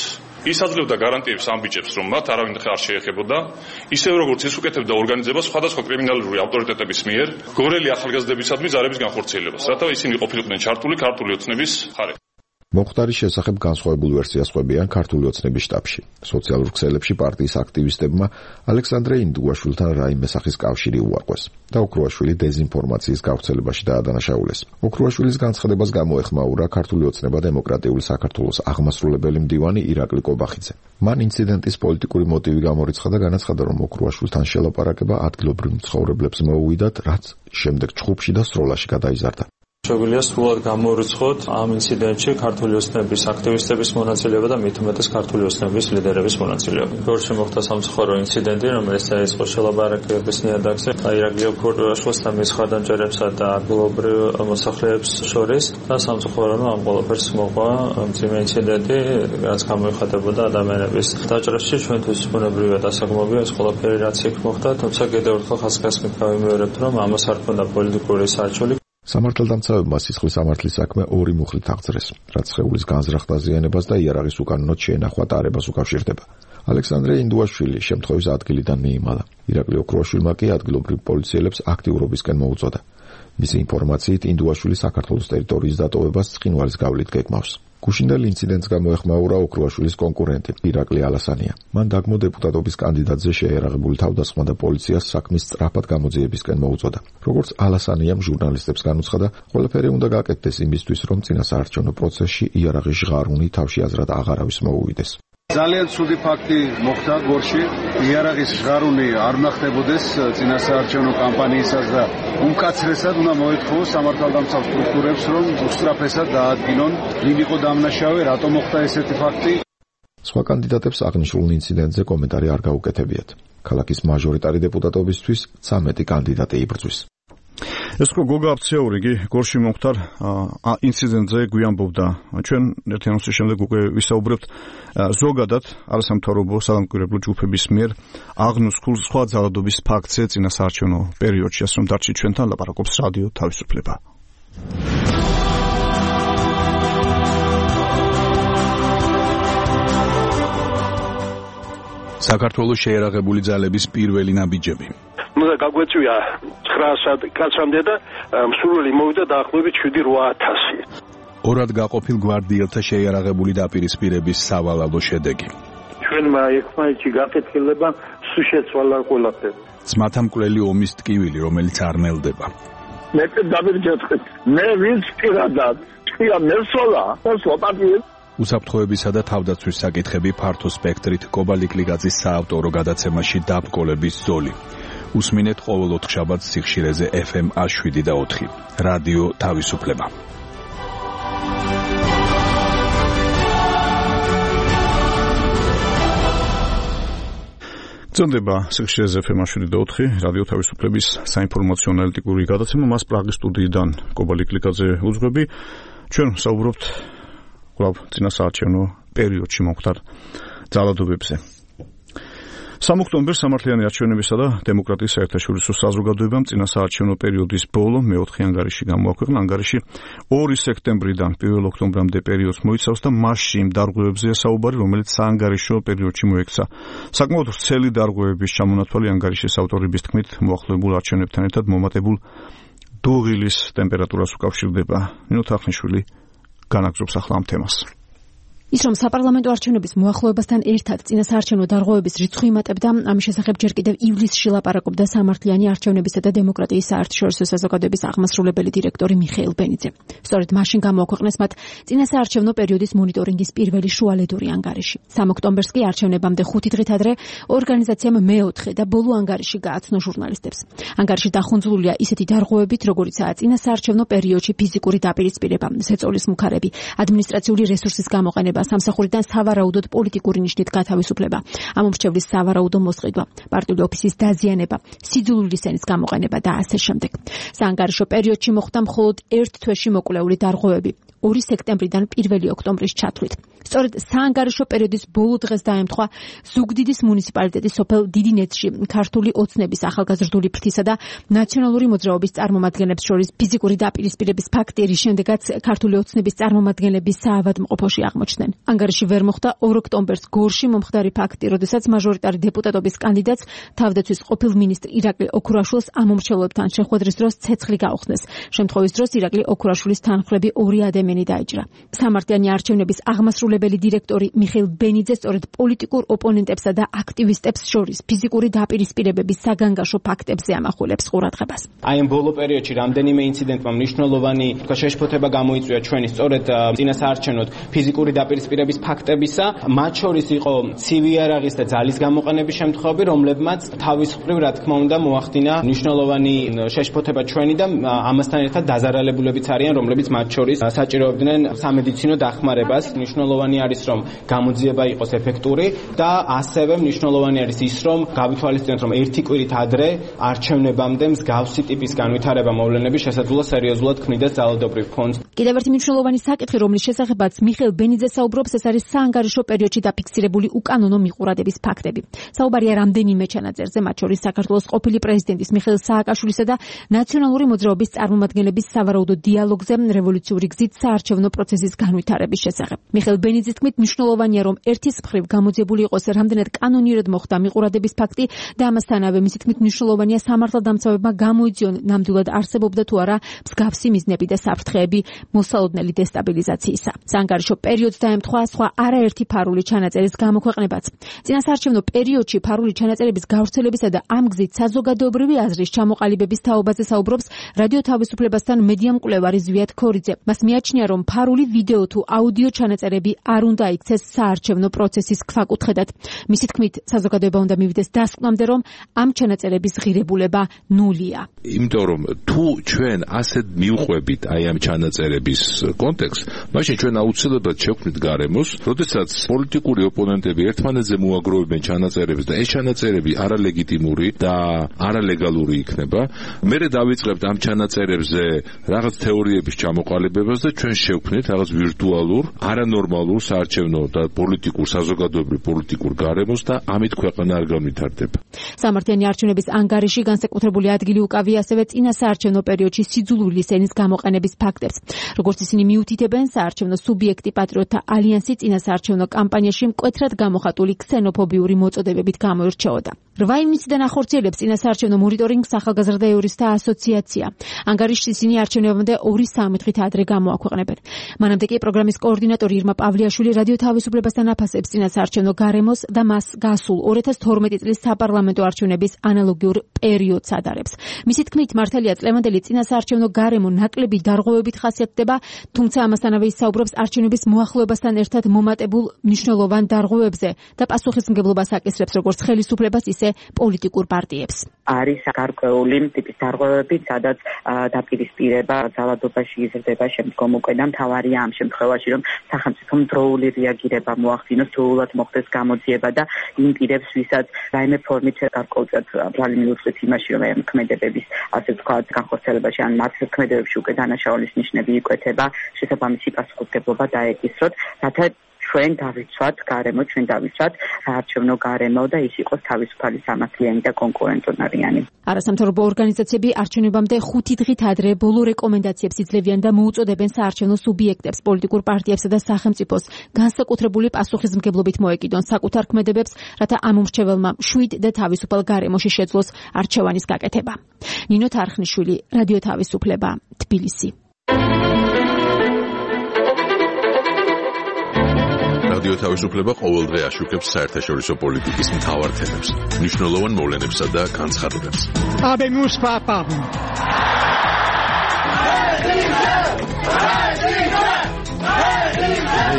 ის აძლევდა გარანტიებს ამ ბიჭებს, რომ მათ არავინ არ შეეხებოდა, ისევ როგორც ის უკეთებდა ორგანიზებას სხვადასხვა კრიმინალური ავტორიტეტების მიერ გორელი ახალგაზრდებისადმი ზარების განხორციელებას, რათა ისინი ყოფილიყვნენ ჩართული ქართული ოცნების მხარეს. მომხდარის შესახებ განსხვავებულ ვერსიას ყვებიან ქართული ოცნების შტაბში. სოციალურ ქსელებში პარტიის აქტივისტებმა ალექსანდრე ინდუაშვილთან რაიმე სახის კავშირი უარყვეს და ოქროაშვილი დეზინფორმაციის გავრცელებაში დაადანაშაულეს. ოქროაშვილის განცხადებას გამოეხმაურა ქართული ოცნება დემოკრატიული საქართველოს აღმასრულებელი მდივანი ირაკლი კობახიძე. მან ინციდენტის პოლიტიკური მოტივი გამორიცხა და განაცხადა, რომ ოქროაშვილთან შელაპარაკება ადგილობრივ მცხოვრებლებს მოუვიდათ, რაც შემდეგ ჩხუბში და სროლაში გადაიზარდა. შეგვიძლია სრულად გამორიცხოთ ამ ინციდენტში ქართული ოცნების აქტივისტების მონაწილეობა და მით უმეტეს ქართული ოცნების ლიდერების მონაწილეობა. გორში მოხდა სამწუხარო ინციდენტი, რომელიც დაიწყო შელაპარაკების ნიადაგზე ირაკლი ოქროაშვილს და მის ხარდამჭერებსა და ადგილობრივ მოსახლეებს შორის და სამწუხარო ამ ყველაფერს მოყვა მძიმე ინციდენტი, რაც გამოიხატებოდა ადამიანების დაჭრაში. ჩვენთვის ბუნებრივია დასაგმობია ეს ყველაფერი, რაც იქ მოხდა, თუმცა კიდევ ერთხელ ხაზგასმით გავიმეორებთ, რომ ამას არ ქონდა პოლიტიკური სარჩული. სამართალდამცავებმა სისხლის სამართლის საქმე ორი მუხლით აღძრეს, რაც სხეულის განზრახ დაზიანებას და იარაღის უკანონოდ შეენახვა ტარებას უკავშირდება. ალექსანდრე ინდუაშვილი შემთხვევის ადგილიდან მიიმალა. ირაკლი ოქროაშვილმა კი ადგილობრივ პოლიციელებს აქტიურობისკენ მოუწოდა. მისი ინფორმაციით ინდუაშვილი საქართველოს ტერიტორიის დატოვებას ცხინვალის გავლით გეგმავს. გუშინდელ ინციდენტს გამოეხმაურა ოქროაშვილის კონკურენტი ირაკლი ალასანია. მან დაგმო დეპუტატობის კანდიდატზე შეერაღებული თავდასხმა და პოლიციას საქმის სწრაფად გამოძიებისკენ მოუწოდა. როგორც ალასანიამ ჟურნალისტებს განუცხადა, ყველაფერი უნდა გაკეთდეს იმისთვის, რომ წინასაარჩევნო პროცესში იარაღის ჟღარუნი თავში აზრად აღარავის მოუვიდეს. ძალიან ცუდი ფაქტი მოხდა გორში. იარაღის ჟღარუნი არ ნახდებოდეს წინასაარჩევნო კამპანიისას და უმკაცრესად უნდა მოითხოვოს სამართალდამცავ სტრუქტურებს, რომ უსწრაფესად დაადგინონ, ვინ იყო დამნაშავე, რატომ მოხდა ესეთი ფაქტი. სხვა კანდიდატებს აღნიშნულ ინციდენტზე კომენტარი არ გაუკეთებიათ. ქალაქის მაჟორიტარი დეპუტატობისთვის ცამეტი კანდიდატი იბრძვის. ეს ხო გოგა აფციაური კი გორში მომხდარ ინციდენტზე გვიამბობდა. ჩვენ ერთი ანონსის შემდეგ უკვე ვისაუბრებთ ზოგადად არასამთავრობო სადამკვირვებლო ჯგუფების მიერ აღნუსხულ სხვა ძალადობის ფაქტზე წინასაარჩევნო პერიოდში, ასე რომ დარჩი ჩვენთან ლაპარაკობს რადიო თავისუფლება. საქართველოს შეერაღებული ძალების პირველი ნაბიჯები. უნდა გაგვეწვია ცხრა კაცამდე და მსურველი მოვიდა დაახლოებით შვიდი რვა ათასი. ორად გაყოფილ გვარდიელთა შეიარაღებული დაპირისპირების სავალალო შედეგი. ჩვენმა ერთმანეთში გაკეთილება სულ შეცვალა ყველაფერი. ძმათა მკვლელი ომის ტკივილი, რომელიც არ ნელდება. მე დავირჯეთხეთ. მე ვინც პირადად თქვია მესოლა და სოპატიეს უსაფრთხოებისა და თავდაცვის საკითხები ფართო სპექტრით კობალიკლიგაძის საავტორო გადაცემაში დაბრკოლების ზოლი. უსმინეთ ყოველ ოთხშაბათს სიხშირეზე ეფ ემ შვიდი და ოთხი. რადიო თავისუფლება. გრძელდება სიხშირეზე ეფ ემ შვიდი და ოთხი. რადიო თავისუფლების საინფორმაციო ანალიტიკური გადაცემა. მას პრაღის სტუდიიდან კობალიკლიგაძე უძღვები. ჩვენ საუბრობთ კვლავ წინასაარჩევნო პერიოდში მომხდარ ძალადობებზე. სამი ოქტომბერს სამართლიანი არჩევნებისა და დემოკრატიის საერთაშორისო საზოგადოებამ წინა საარჩევნო პერიოდის ბოლო მეოთხე ანგარიში გამოაქვეყნა. ანგარიში ორი სექტემბრიდან პირველ ოქტომბრამდე პერიოდს მოიცავს და მასში იმ დარღვევებზეა საუბარი, რომელიც საანგარიშო პერიოდში მოექცა. საკმაოდ ვრცელი დარღვევების ჩამონათვალი ანგარიშის ავტორების თქმით მოახლოებულ არჩევნებთან ერთად მომატებულ დუღილის ტემპერატურას უკავშირდება. ნინო თახნიშვილი განაგზობს ახლა ამ თემას. ის რომ საპარლამენტო არჩევნების მოახლოებასთან ერთად წინა საარჩევნო დარღვევების რიცხვი იმატებდა, ამის შესახებ ჯერ კიდევ ივლისში ლაპარაკობდა სამართლიანი არჩევნებისა და დემოკრატიის საერთაშორისო საზოგადოების აღმასრულებელი დირექტორი მიხეილ ბენიძე. სწორედ მაშინ გამოაქვეყნეს მათ წინა საარჩევნო პერიოდის მონიტორინგის პირველი შუალედური ანგარიში. სამი ოქტომბერს კი არჩევნებამდე ხუთი დღით ადრე ორგანიზაციამ მეოთხე და ბოლო ანგარიში გააცნო ჟურნალისტებს. ანგარიში დახუნძლულია ისეთი დარღვევებით, როგორიცაა წინა საარჩევნო პერიოდში ფიზიკური დაპირისპირება, ზეწოლის მუქარები, ადმინისტრაციული რესურსის გამოყენება, სამსახურიდან სავარაუდოდ პოლიტიკური ნიშნით გათავისუფლება, ამომრჩევლის სავარაუდო მოსყიდვა, პარტიული ოფისის დაზიანება, სიძულული სენის გამოყენება და ასე შემდეგ. საანგარიშო პერიოდში მოხდა მხოლოდ ერთ თვეში მოკვლეული დარღვევები, ორი სექტემბრიდან პირველი ოქტომბრის ჩათვლით. სწორედ საანგარიშო პერიოდის ბოლო დღეს დაემთხვა ზუგდიდის მუნიციპალიტეტის სოფელ დიდინეთში ქართული ოცნების ახალგაზრდული ფრთისა და ნაციონალური მოძრაობის წარმომადგენლებს შორის ფიზიკური დაპირისპირების ფაქტი, რის შემდეგაც ქართული ოცნების წარმომადგენლები საავადმყოფოში აღმოჩნდნენ. ანგარიში ვერ მოხდა ორ ოქტომბერს გორში მომხდარი ფაქტი, როდესაც მაჟორიტარი დეპუტატობის კანდიდატს თავდაცვის ყოფილ მინისტრ ირაკლი ოქურაშვილს ამომრჩევლობთან შეხვედრის დროს ცეცხლი გაუხსნეს. შემთხვევის დროს ირაკლი ოქურაშვილის თანხმლები ორი ადამიანი დაიჭრა. სამართლიანი არჩევნების აღმასრულებელი დირექტორი მიხეილ ბენიძე სწორედ პოლიტიკურ ოპონენტებსა და აქტივისტებს შორის ფიზიკური დაპირისპირებების საგანგაშო ფაქტებზე ამახვილებს ყურადღებას. აი ამ ბოლო პერიოდში რამდენიმე ინციდენტმა მნიშვნელოვანი თქვა შეშფოთება გამოიწვია ჩვენი სწორედ წინა საარჩევნოდ ფიზიკური დაპირისპირების ფაქტებისა, მათ შორის იყო ცივი იარაღის და ძალის გამოყენების შემთხვევები, რომლებმაც თავისუფლად, რა თქმა უნდა, მოახდინა მნიშვნელოვანი შეშფოთება ჩვენი და ამასთან ერთად დაზარალებულებიც არიან, რომლებიც მათ შორის საჭიროებდნენ სამედიცინო დახმარებას. მნიშვნელოვანი არის, რომ გამოძიება იყოს ეფექტური და ასევე მნიშვნელოვანი არის ის, რომ გავითვალისწინოთ, რომ ერთი კვირით ადრე არჩევნებამდე მსგავსი ტიპის განვითარება მოვლენების შესაძლოა სერიოზულად ქმნიდეს ძალადობრივ ფონს. კიდევ ერთი მნიშვნელოვანი საკითხი, რომლის შესახებაც მიხეილ ბენიძე საუბრობს, ეს არის საანგარიშო პერიოდში დაფიქსირებული უკანონო მიყურადების ფაქტები. საუბარია რამდენიმე ჩანაწერზე, მათ შორის საქართველოს ყოფილი პრეზიდენტის მიხეილ სააკაშვილისა და ნაციონალური მოძრაობის წარმომადგენლების სავარაუდო დიალოგზე რევოლუციური გზით საარჩევნო პროცესის განვითარების შესახებ. მიხეილ ბენიძის თქმით, მნიშვნელოვანია, რომ ერთის მხრივ გამოძიებული იყოს რამდენად კანონიერად მოხდა მიყურადების ფაქტი და ამასთანავე მისი თქმით მნიშვნელოვანია სამართალდამცავებმა გამოიძიონ ნამდვილად არსებობდა თუ არა მსგავსი მიზნები და საფრთხეები მოსალოდნელი დესტაბილიზაციისა. საანგარიშო პერიოდს დაემთხვა სხვა არაერთი ფარული ჩანაწერის გამოქვეყნებაც. წინა საარჩევნო პერიოდში ფარული ჩანაწერების გავრცელებისა და ამ გზით საზოგადოებრივი აზრის ჩამოყალიბების თაობაზე საუბრობს რადიო თავისუფლებასთან მედია მკვლევარი ზვიად ქორიძე. მას მიაჩნია, რომ ფარული ვიდეო თუ აუდიო ჩანაწერები არ უნდა იქცეს საარჩევნო პროცესის ქვაკუთხედად. მისი თქმით, საზოგადოება უნდა მივიდეს დასკვნამდე, რომ ამ ჩანაწერების ღირებულება ნულია. იმიტომ რომ თუ ჩვენ ასეთ მივყვებით აი ამ ჩანაწერების კონტექსტს, მაშინ ჩვენ აუცილებლად შევქმნით გარემოს, როდესაც პოლიტიკური ოპონენტები ერთმანეთზე მოაგროვებენ ჩანაწერებს და ეს ჩანაწერები არალეგიტიმური და არალეგალური იქნება, მერე დავიწყებთ ამ ჩანაწერებზე რაღაც თეორიების ჩამოყალიბებას და ჩვენ შევქმნით რაღაც ვირტუალურ, არანორმალურ საარჩევნო და პოლიტიკურ საზოგადოებრივ პოლიტიკურ გარემოს და ამით ქვეყანა არ განვითარდება. სამართლიანი არჩევნების ანგარიში განსაკუთრებული ადგილი უკავია ასევე წინა საარჩევნო პერიოდში სიძულული სენის გამოყენების ფაქტებს. როგორც ისინი მიუთითებენ, საარჩევნო სუბიექტი პატრიოტთა ალიანსი წინა საარჩევნო კამპანიაში მკვეთრად გამოხატული ქსენოფობიური მოწოდებებით გამოირჩეოდა. რვა ივნისიდან ახორციელებს წინა საარჩევნო მონიტორინგს ახალგაზრდა იურისტთა ასოციაცია. ანგარიშს ისინი არჩევნებამდე ორი სამი დღით ადრე გამოაქვეყნებენ. მანამდე კი პროგრამის კოორდინატორი ირმა პავლიაშვილი რადიო თავისუფლებასთან აფასებს წინა საარჩევნო გარემოს და მას გასულ ორი ათას თორმეტი წლის საპარლამენტო არჩევნების ანალოგიურ პერიოდს ადარებს. მისი თქმით, მართალია წლევანდელი წინა საარჩევნო გარემო ნაკლები დარღვევებით ხასიათდება, თუმცა ამასთანავე ის საუბრობს არჩევნების მოახლოებასთან ერთად მომატებულ მნიშვნელოვან დარღვევებზე და პასუხისმგებლობას აკისრებს როგორც ხელისუფლებას, ისე პოლიტიკურ პარტიებს. არის გარკვეული ტიპის დარღვევები, სადაც დაპირისპირება ძალადობაში იზრდება შემდგომ უკვე და მთავარია ამ შემთხვევაში, რომ სახელმწიფომ დროული რეაგირება მოახდინოს, დროულად მოხდეს გამოძიება და იმ პირებს, ვისაც რაიმე ფორმით გარკვეულწილად ბრალი მიუწვით იმაში, რომ ამ ქმედებების ასე ვთქვათ განხორციელებაში ან მათ ქმედებებში უკვე დანაშაულის ნიშნები იკვეთება, შესაბამისი პასუხისმგებლობა დაეკისროთ, რათა ჩვენ დავიცვათ გარემო, ჩვენ დავიცვათ საარჩევნო გარემო და ის იყოს თავისუფალი, სამართლიანი და კონკურენტუნარიანი. არასამთავრობო ორგანიზაციები არჩევნებამდე ხუთი დღით ადრე ბოლო რეკომენდაციებს იძლევიან და მოუწოდებენ საარჩევნო სუბიექტებს, პოლიტიკურ პარტიებსა და სახელმწიფოს განსაკუთრებული პასუხისმგებლობით მოეკიდონ საკუთარ ქმედებებს, რათა ამ უმრჩეველმა შვიდ და თავისუფალ გარემოში შეძლოს არჩევანის გაკეთება. ნინო თარხნიშვილი, რადიო თავისუფლება, თბილისი. რადიო თავისუფლება ყოველდღე აშუქებს საერთაშორისო პოლიტიკის მთავარ თემებს, მნიშვნელოვან მოვლენებსა და განცხადებებს. Habemus papam.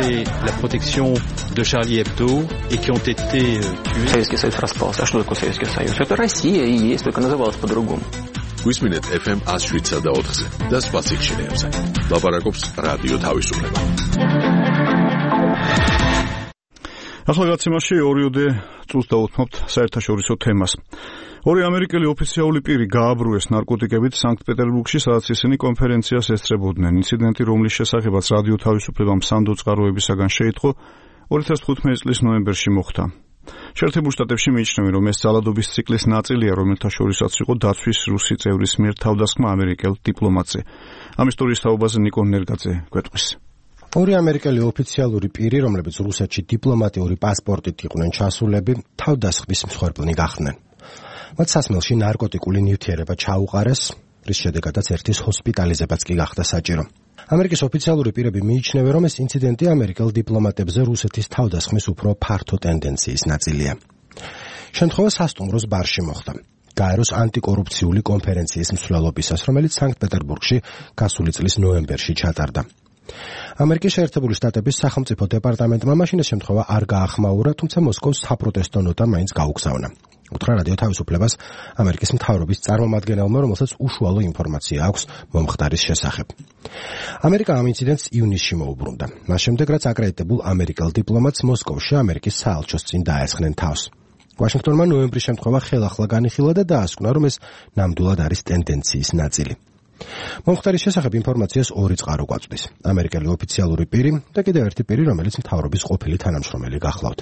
Et la protection de Charlie Hebdo et qui ont été tués. Советский Союз распался. А что такое Советский Союз? Это Россия и есть, только называлась по-другому. გვისმინეთ эф эм one oh seven და ოთხზე და სხვა სიხშირეებზე. ლაპარაკობს რადიო თავისუფლება. ახლა გაცემაში ორიოდე წუთს დავუთმობთ საერთაშორისო თემას. ორი ამერიკელი ოფიციალური პირი გააბრუეს ნარკოტიკებით სანქტ-პეტერბურგში, სადაც ისინი კონფერენციას ესწრებოდნენ. ინციდენტი, რომლის შესახებაც რადიო თავისუფლებამ სანდო წყაროებისაგან შეიტყო, ორი ათას თხუთმეტი წლის ნოემბერში მოხდა. შეერთებულ შტატებში მიიჩნევენ, რომ ეს ძალადობის ციკლის ნაწილია, რომელთა შორისაც იყო დაცვის რუსი წევრის მიერ თავდასხმა ამერიკელ დიპლომატზე. ამ ისტორიის თაობაზე ნიკო ნერგაძე გვეტყვის. ორი ამერიკელი ოფიციალური პირი, რომლებიც რუსეთში დიპლომატიური პასპორტით იყვნენ ჩასულები, თავდასხმის მსხვერპლნი გახდნენ. მათ სასმელში ნარკოტიკული ნივთიერება ჩაუყარეს, რის შედეგადაც ერთის ჰოსპიტალიზებაც კი გახდა საჭირო. ამერიკის ოფიციალური პირები მიიჩნევენ, რომ ეს ინციდენტი ამერიკელ დიპლომატებზე რუსეთის თავდასხმის უფრო ფართო ტენდენციის ნაწილია. შემთხვევა სასტუმროს ბარში მოხდა. გაეროს ანტიკორუფციული კონფერენციის მსვლელობისას, რომელიც სანქტ-პეტერბურგში გასული წლის ნოემბერში ჩატარდა. ამერიკის შეერთებული შტატების სახელმწიფო დეპარტამენტმა მაშინ ეს შემთხვევა არ გაახმაურა, თუმცა მოსკოვს საპროტესტო ნოტა მაინც გაუგზავნა. უთხრა რადიო თავისუფლებას ამერიკის მთავრობის წარმომადგენელმა, რომელსაც უშუალო ინფორმაცია აქვს მომხდარის შესახებ. ამერიკა ამ ინციდენტს ივნისში მოუბრუნდა. მას შემდეგ, რაც აკრედიტებულ ამერიკელ დიპლომატს მოსკოვში ამერიკის საელჩოს წინ დაესხნენ თავს. ვაშინგტონმა ნოემბრის შემთხვევა ხელახლა განიხილა და დაასკვნა, რომ ეს ნამდვილად არის ტენდენციის ნაწილი. მომხდარის შესახებ ინფორმაციას ორი წყარო გვაწვდის. ამერიკელი ოფიციალური პირი და კიდევ ერთი პირი, რომელიც მთავრობის ყოფილი თანამშრომელი გახლავთ.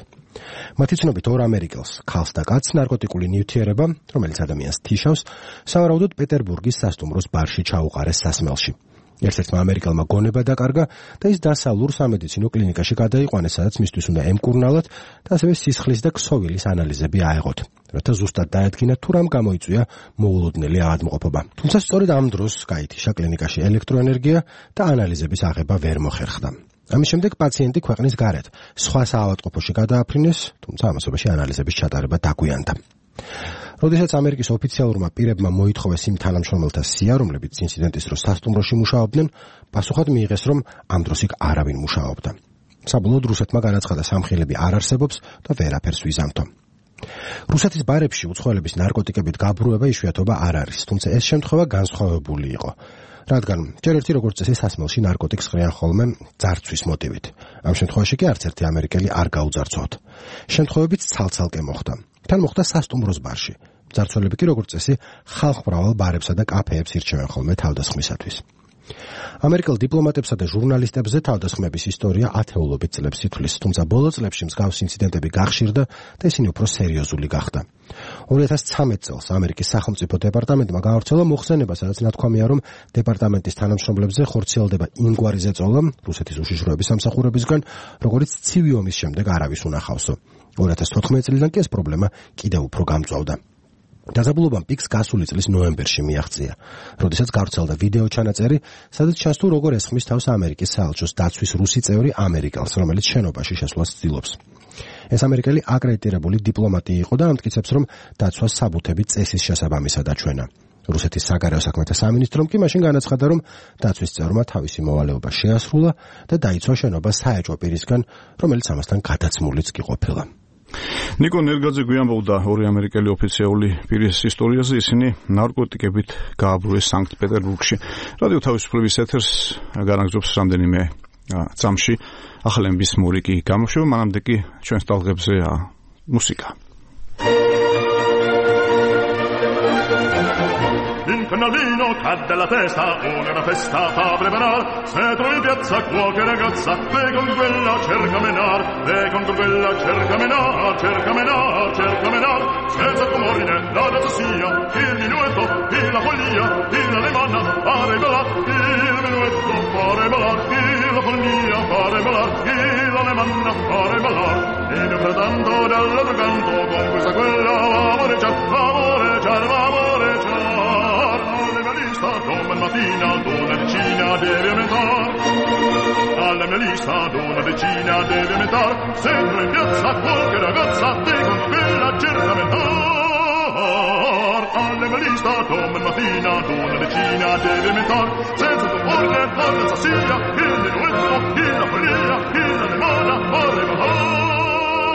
მათი ცნობით ორ ამერიკელს, ქალს და კაცს ნარკოტიკული ნივთიერება, რომელიც ადამიანს თიშავს, სავარაუდოდ პეტერბურგის სასტუმროს ბარში ჩაუყარეს სასმელში. ერთ-ერთმა ამერიკელმა გონება დაკარგა და ის დასავლურ სამედიცინო კლინიკაში გადაიყვანეს, სადაც მისთვის უნდა ემკურნალათ და ასევე სისხლის და ქსოვილის ანალიზები აეღოთ, რათა ზუსტად დაედგინათ თუ რამ გამოიწვია მოულოდნელი ავადმყოფობა. თუმცა სწორედ ამ დროს გაითიშა კლინიკაში ელექტროენერგია და ანალიზების აღება ვერ მოხერხდა. ამის შემდეგ პაციენტი ქვეყნის გარეთ სხვა საავადმყოფოში გადააფრინეს, თუმცა ამასობაში ანალიზების ჩატარება დაგვიანდა. როდესაც ამერიკის ოფიციალურმა პირებმა მოითხოვეს იმ თანამშრომელთა სია, რომლებიც ინციდენტის დროს სასტუმროში მუშაობდნენ, პასუხად მიიღეს, რომ ამ დროს იქ არავინ მუშაობდა. საბოლოოდ რუსეთმა განაცხადა, სამხილები არ არსებობს და ვერაფერს ვიზამთო. რუსეთის ბარებში უცხოელების ნარკოტიკებით გაბრუება იშვიათობა არ არის, თუმცა ეს შემთხვევა განსხვავებული იყო. რადგან ჯერ ერთი როგორც წესი სასმელში ნარკოტიკს ყრიან ხოლმე ძარცვის მოტივით. ამ შემთხვევაში კი არც ერთი ამერიკელი არ გაუძარცვათ. შემთხვევებიც ცალ-ცალკე მოხდა. თან მოხდა სასტუმროს ბარში. ძარცველები კი როგორც წესი ხალხმრავალ ბარებსა და კაფეებს ირჩევენ ხოლმე თავდასხმისათვის. ამერიკელ დიპლომატებსა და ჟურნალისტებზე თავდასხმების ისტორია ათეულობით წლებს ითვლის, თუმცა ბოლო წლებში მსგავს ინციდენტები გახშირდა და ისინი უფრო სერიოზული გახდა. ორი ათას ცხრამეტ წელს ამერიკის სახელმწიფო დეპარტამენტმა გაავრცელა მოხსენება, სადაც ნათქვამია, რომ დეპარტამენტის თანამშრომლებზე ხორციელდება იმგვარი ზეწოლა რუსეთის უშიშროების სამსახურებისგან, როგორც ცივი ომის შემდეგ არავის უნახავსო. ორი ათას თოთხმეტი წლიდან კი ეს პრობლემა კიდევ უფრო გამწვავდა. დაზაბულობამ პიკს გასული წლის ნოემბერში მიაღწია, როდესაც გავრცელდა ვიდეო ჩანაწერი, სადაც ჩანს თუ როგორ ესხმის თავს ამერიკის საელჩოს დაცვის რუსი წევრი ამერიკელს, რომელიც შენობაში შესვლას ცდილობს. ეს ამერიკელი აკრედიტირებული დიპლომატი იყო და ამტკიცებს, რომ დაცვას საბუთები წესის შესაბამისად აჩვენა. რუსეთის საგარეო საქმეთა სამინისტრომ კი მაშინ განაცხადა, რომ დაცვის წევრმა თავისი მოვალეობა შეასრულა და დაიცვა შენობა საეჭვო პირისგან, რომელიც ამასთან გადაცმულიც კი ყოფილა. ნიკო ნერგაძე გვიამბობდა ორი ამერიკელი ოფიციალური პირის ისტორიაზე, ისინი ნარკოტიკებით გააბრუეს სანქტ-პეტერბურგში. რადიო თავისუფლების ეთერს განაგრძობს რამდენიმე წამში ახალების მურიკი გამოშვება, მანამდე კი ჩვენს ტალღებზე მუსიკა. In canalino cadde la testa, una festa fa preparar. Se trovi in piazza qualche ragazza, ve con quella cerca menar, ve con quella cerca menar, cerca menar, cerca menar. Senza comorine, la danza sia, il minuetto, il la follia, il alemanna, fare ballare, il minuetto, fare ballare, il la follia, fare ballare, il alemanna, fare ballare. E nel frattanto dall'altro canto, con questa quella, amoreggiar, amoreggiar, amoreggiar. Domani mattina una decina deve aumentare, alla mia lista una decina deve aumentare, se non in piazza qualche ragazza te con quella cerca aumentare, alla mia lista domani mattina una decina deve aumentare, senza tu porre la danza sia, il minuetto, il la follia, il la limona, vorrei ballare,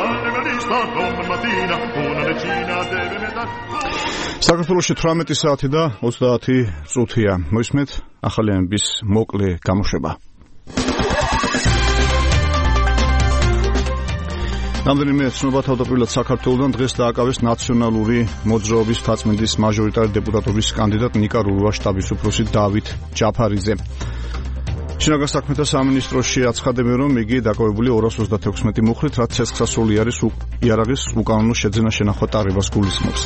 alla mia lista domani mattina una decina deve aumentare. საქართველოში თვრამეტი საათი და ოცდაათი წუთია. მოისმენთ ახალი ამბის მოკლე გამოშვება. რამდენიმე ცნობა თავდაპირველად საქართველოსთან დღეს დააკავეს ნაციონალური მოძრაობის მთაწმინდის მაჟორიტარი დეპუტატობის კანდიდატ ნიკა რურვა შტაბის უფროსი დავით ჯაფარიძე. შინაგან საქმეთა სამინისტროში აცხადებენ, რომ იგი დაკავებული ორას ოცდათექვსმეტი მუხლით, რაც ცეცხლსასროლი არის იარაღის უკანონო შეძენა შენახვა ტარებას გულისხმობს.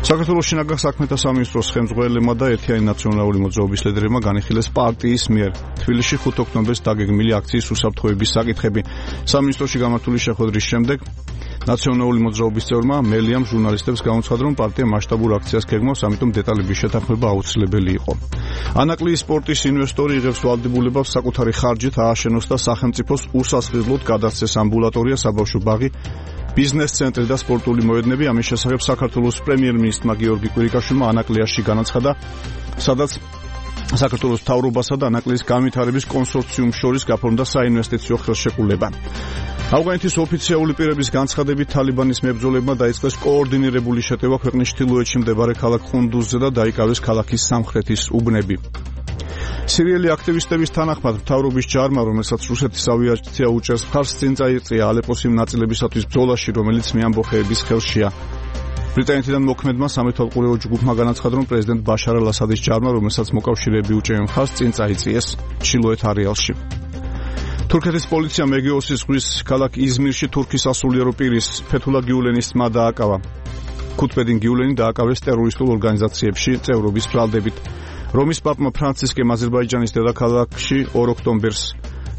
საქართველოს შინაგან საქმეთა სამინისტროს ხელმძღვანელებმა და ერთიანი ნაციონალური მოძრაობის ლიდერებმა განიხილეს პარტიის მიერ თბილისში ხუთ ოქტომბერს დაგეგმილი აქციის უსაფრთხოების საკითხები. სამინისტროში გამართული შეხვედრის შემდეგ ნაციონალური მოძრაობის წევრმა მელიამ ჟურნალისტებს გამოცხადა, რომ პარტია მასშტაბურ აქციას გეგმავს, ამიტომ დეტალების შეთანხმება აუცილებელი იყო. ანაკლიის სპორტის ინვესტორი იღებს ვალდებულებას საკუთარი ხარჯით ააშენოს და სახელმწიფოს უსასყიდლოდ გადასცეს ამბულატორია, საბავშვო ბაღი, ბიზნეს ცენტრი და სპორტული მოედნები. ამის შესახებ საქართველოს პრემიერ-მინისტრმა გიორგი კვირიკაშვილმა ანაკლიაში განაცხადა, სადაც საქართველოს მთავრობასა და ანაკლიის განვითარების კონსორციუმს შორის გაფორმდა საინვესტიციო ხელშეკრულება. ავღანეთის ოფიციალური პირების განცხადებით თალიბანის მებრძოლებმა დაიწყეს კოორდინირებული შეტევა ქვეყნის ჩრდილოეთში მდებარე ქალაქ ყუნდუზზე და დაიკავეს ქალაქის სამხრეთის უბნები. სირიელი აქტივისტების თანახმად მთავრობის ჯარმა, რომელსაც რუსეთის ავიაცია უჭერს მხარს, წინ წაიწია ალეპოს იმ ნაწილებისათვის ბრძოლაში, რომელიც მეამბოხეების ხელშია. ბრიტანეთიდან მოქმედმა სამეთვალყურეო ჯგუფმა განაცხადა, რომ პრეზიდენტ ბაშარ ალ-ასადის ჯარმა, რომელსაც მოკავშირეები უჭერენ მხარს, წინ წაიწიეს ჩრდილოეთ არეალში. თურქეთის პოლიციამ ეგეოსის ზღვის ქალაქ იზმირში თურქის სასულიერო პირის ფეთულა გიულენის ძმა დააკავა. ქუთბედინ გიულენი დააკავეს ტერორისტულ ორგანიზაციებში წევრობის ბრალდებით. რომის პაპმა ფრანცისკემ აზერბაიჯანის დედაქალაქში ორ ოქტომბერს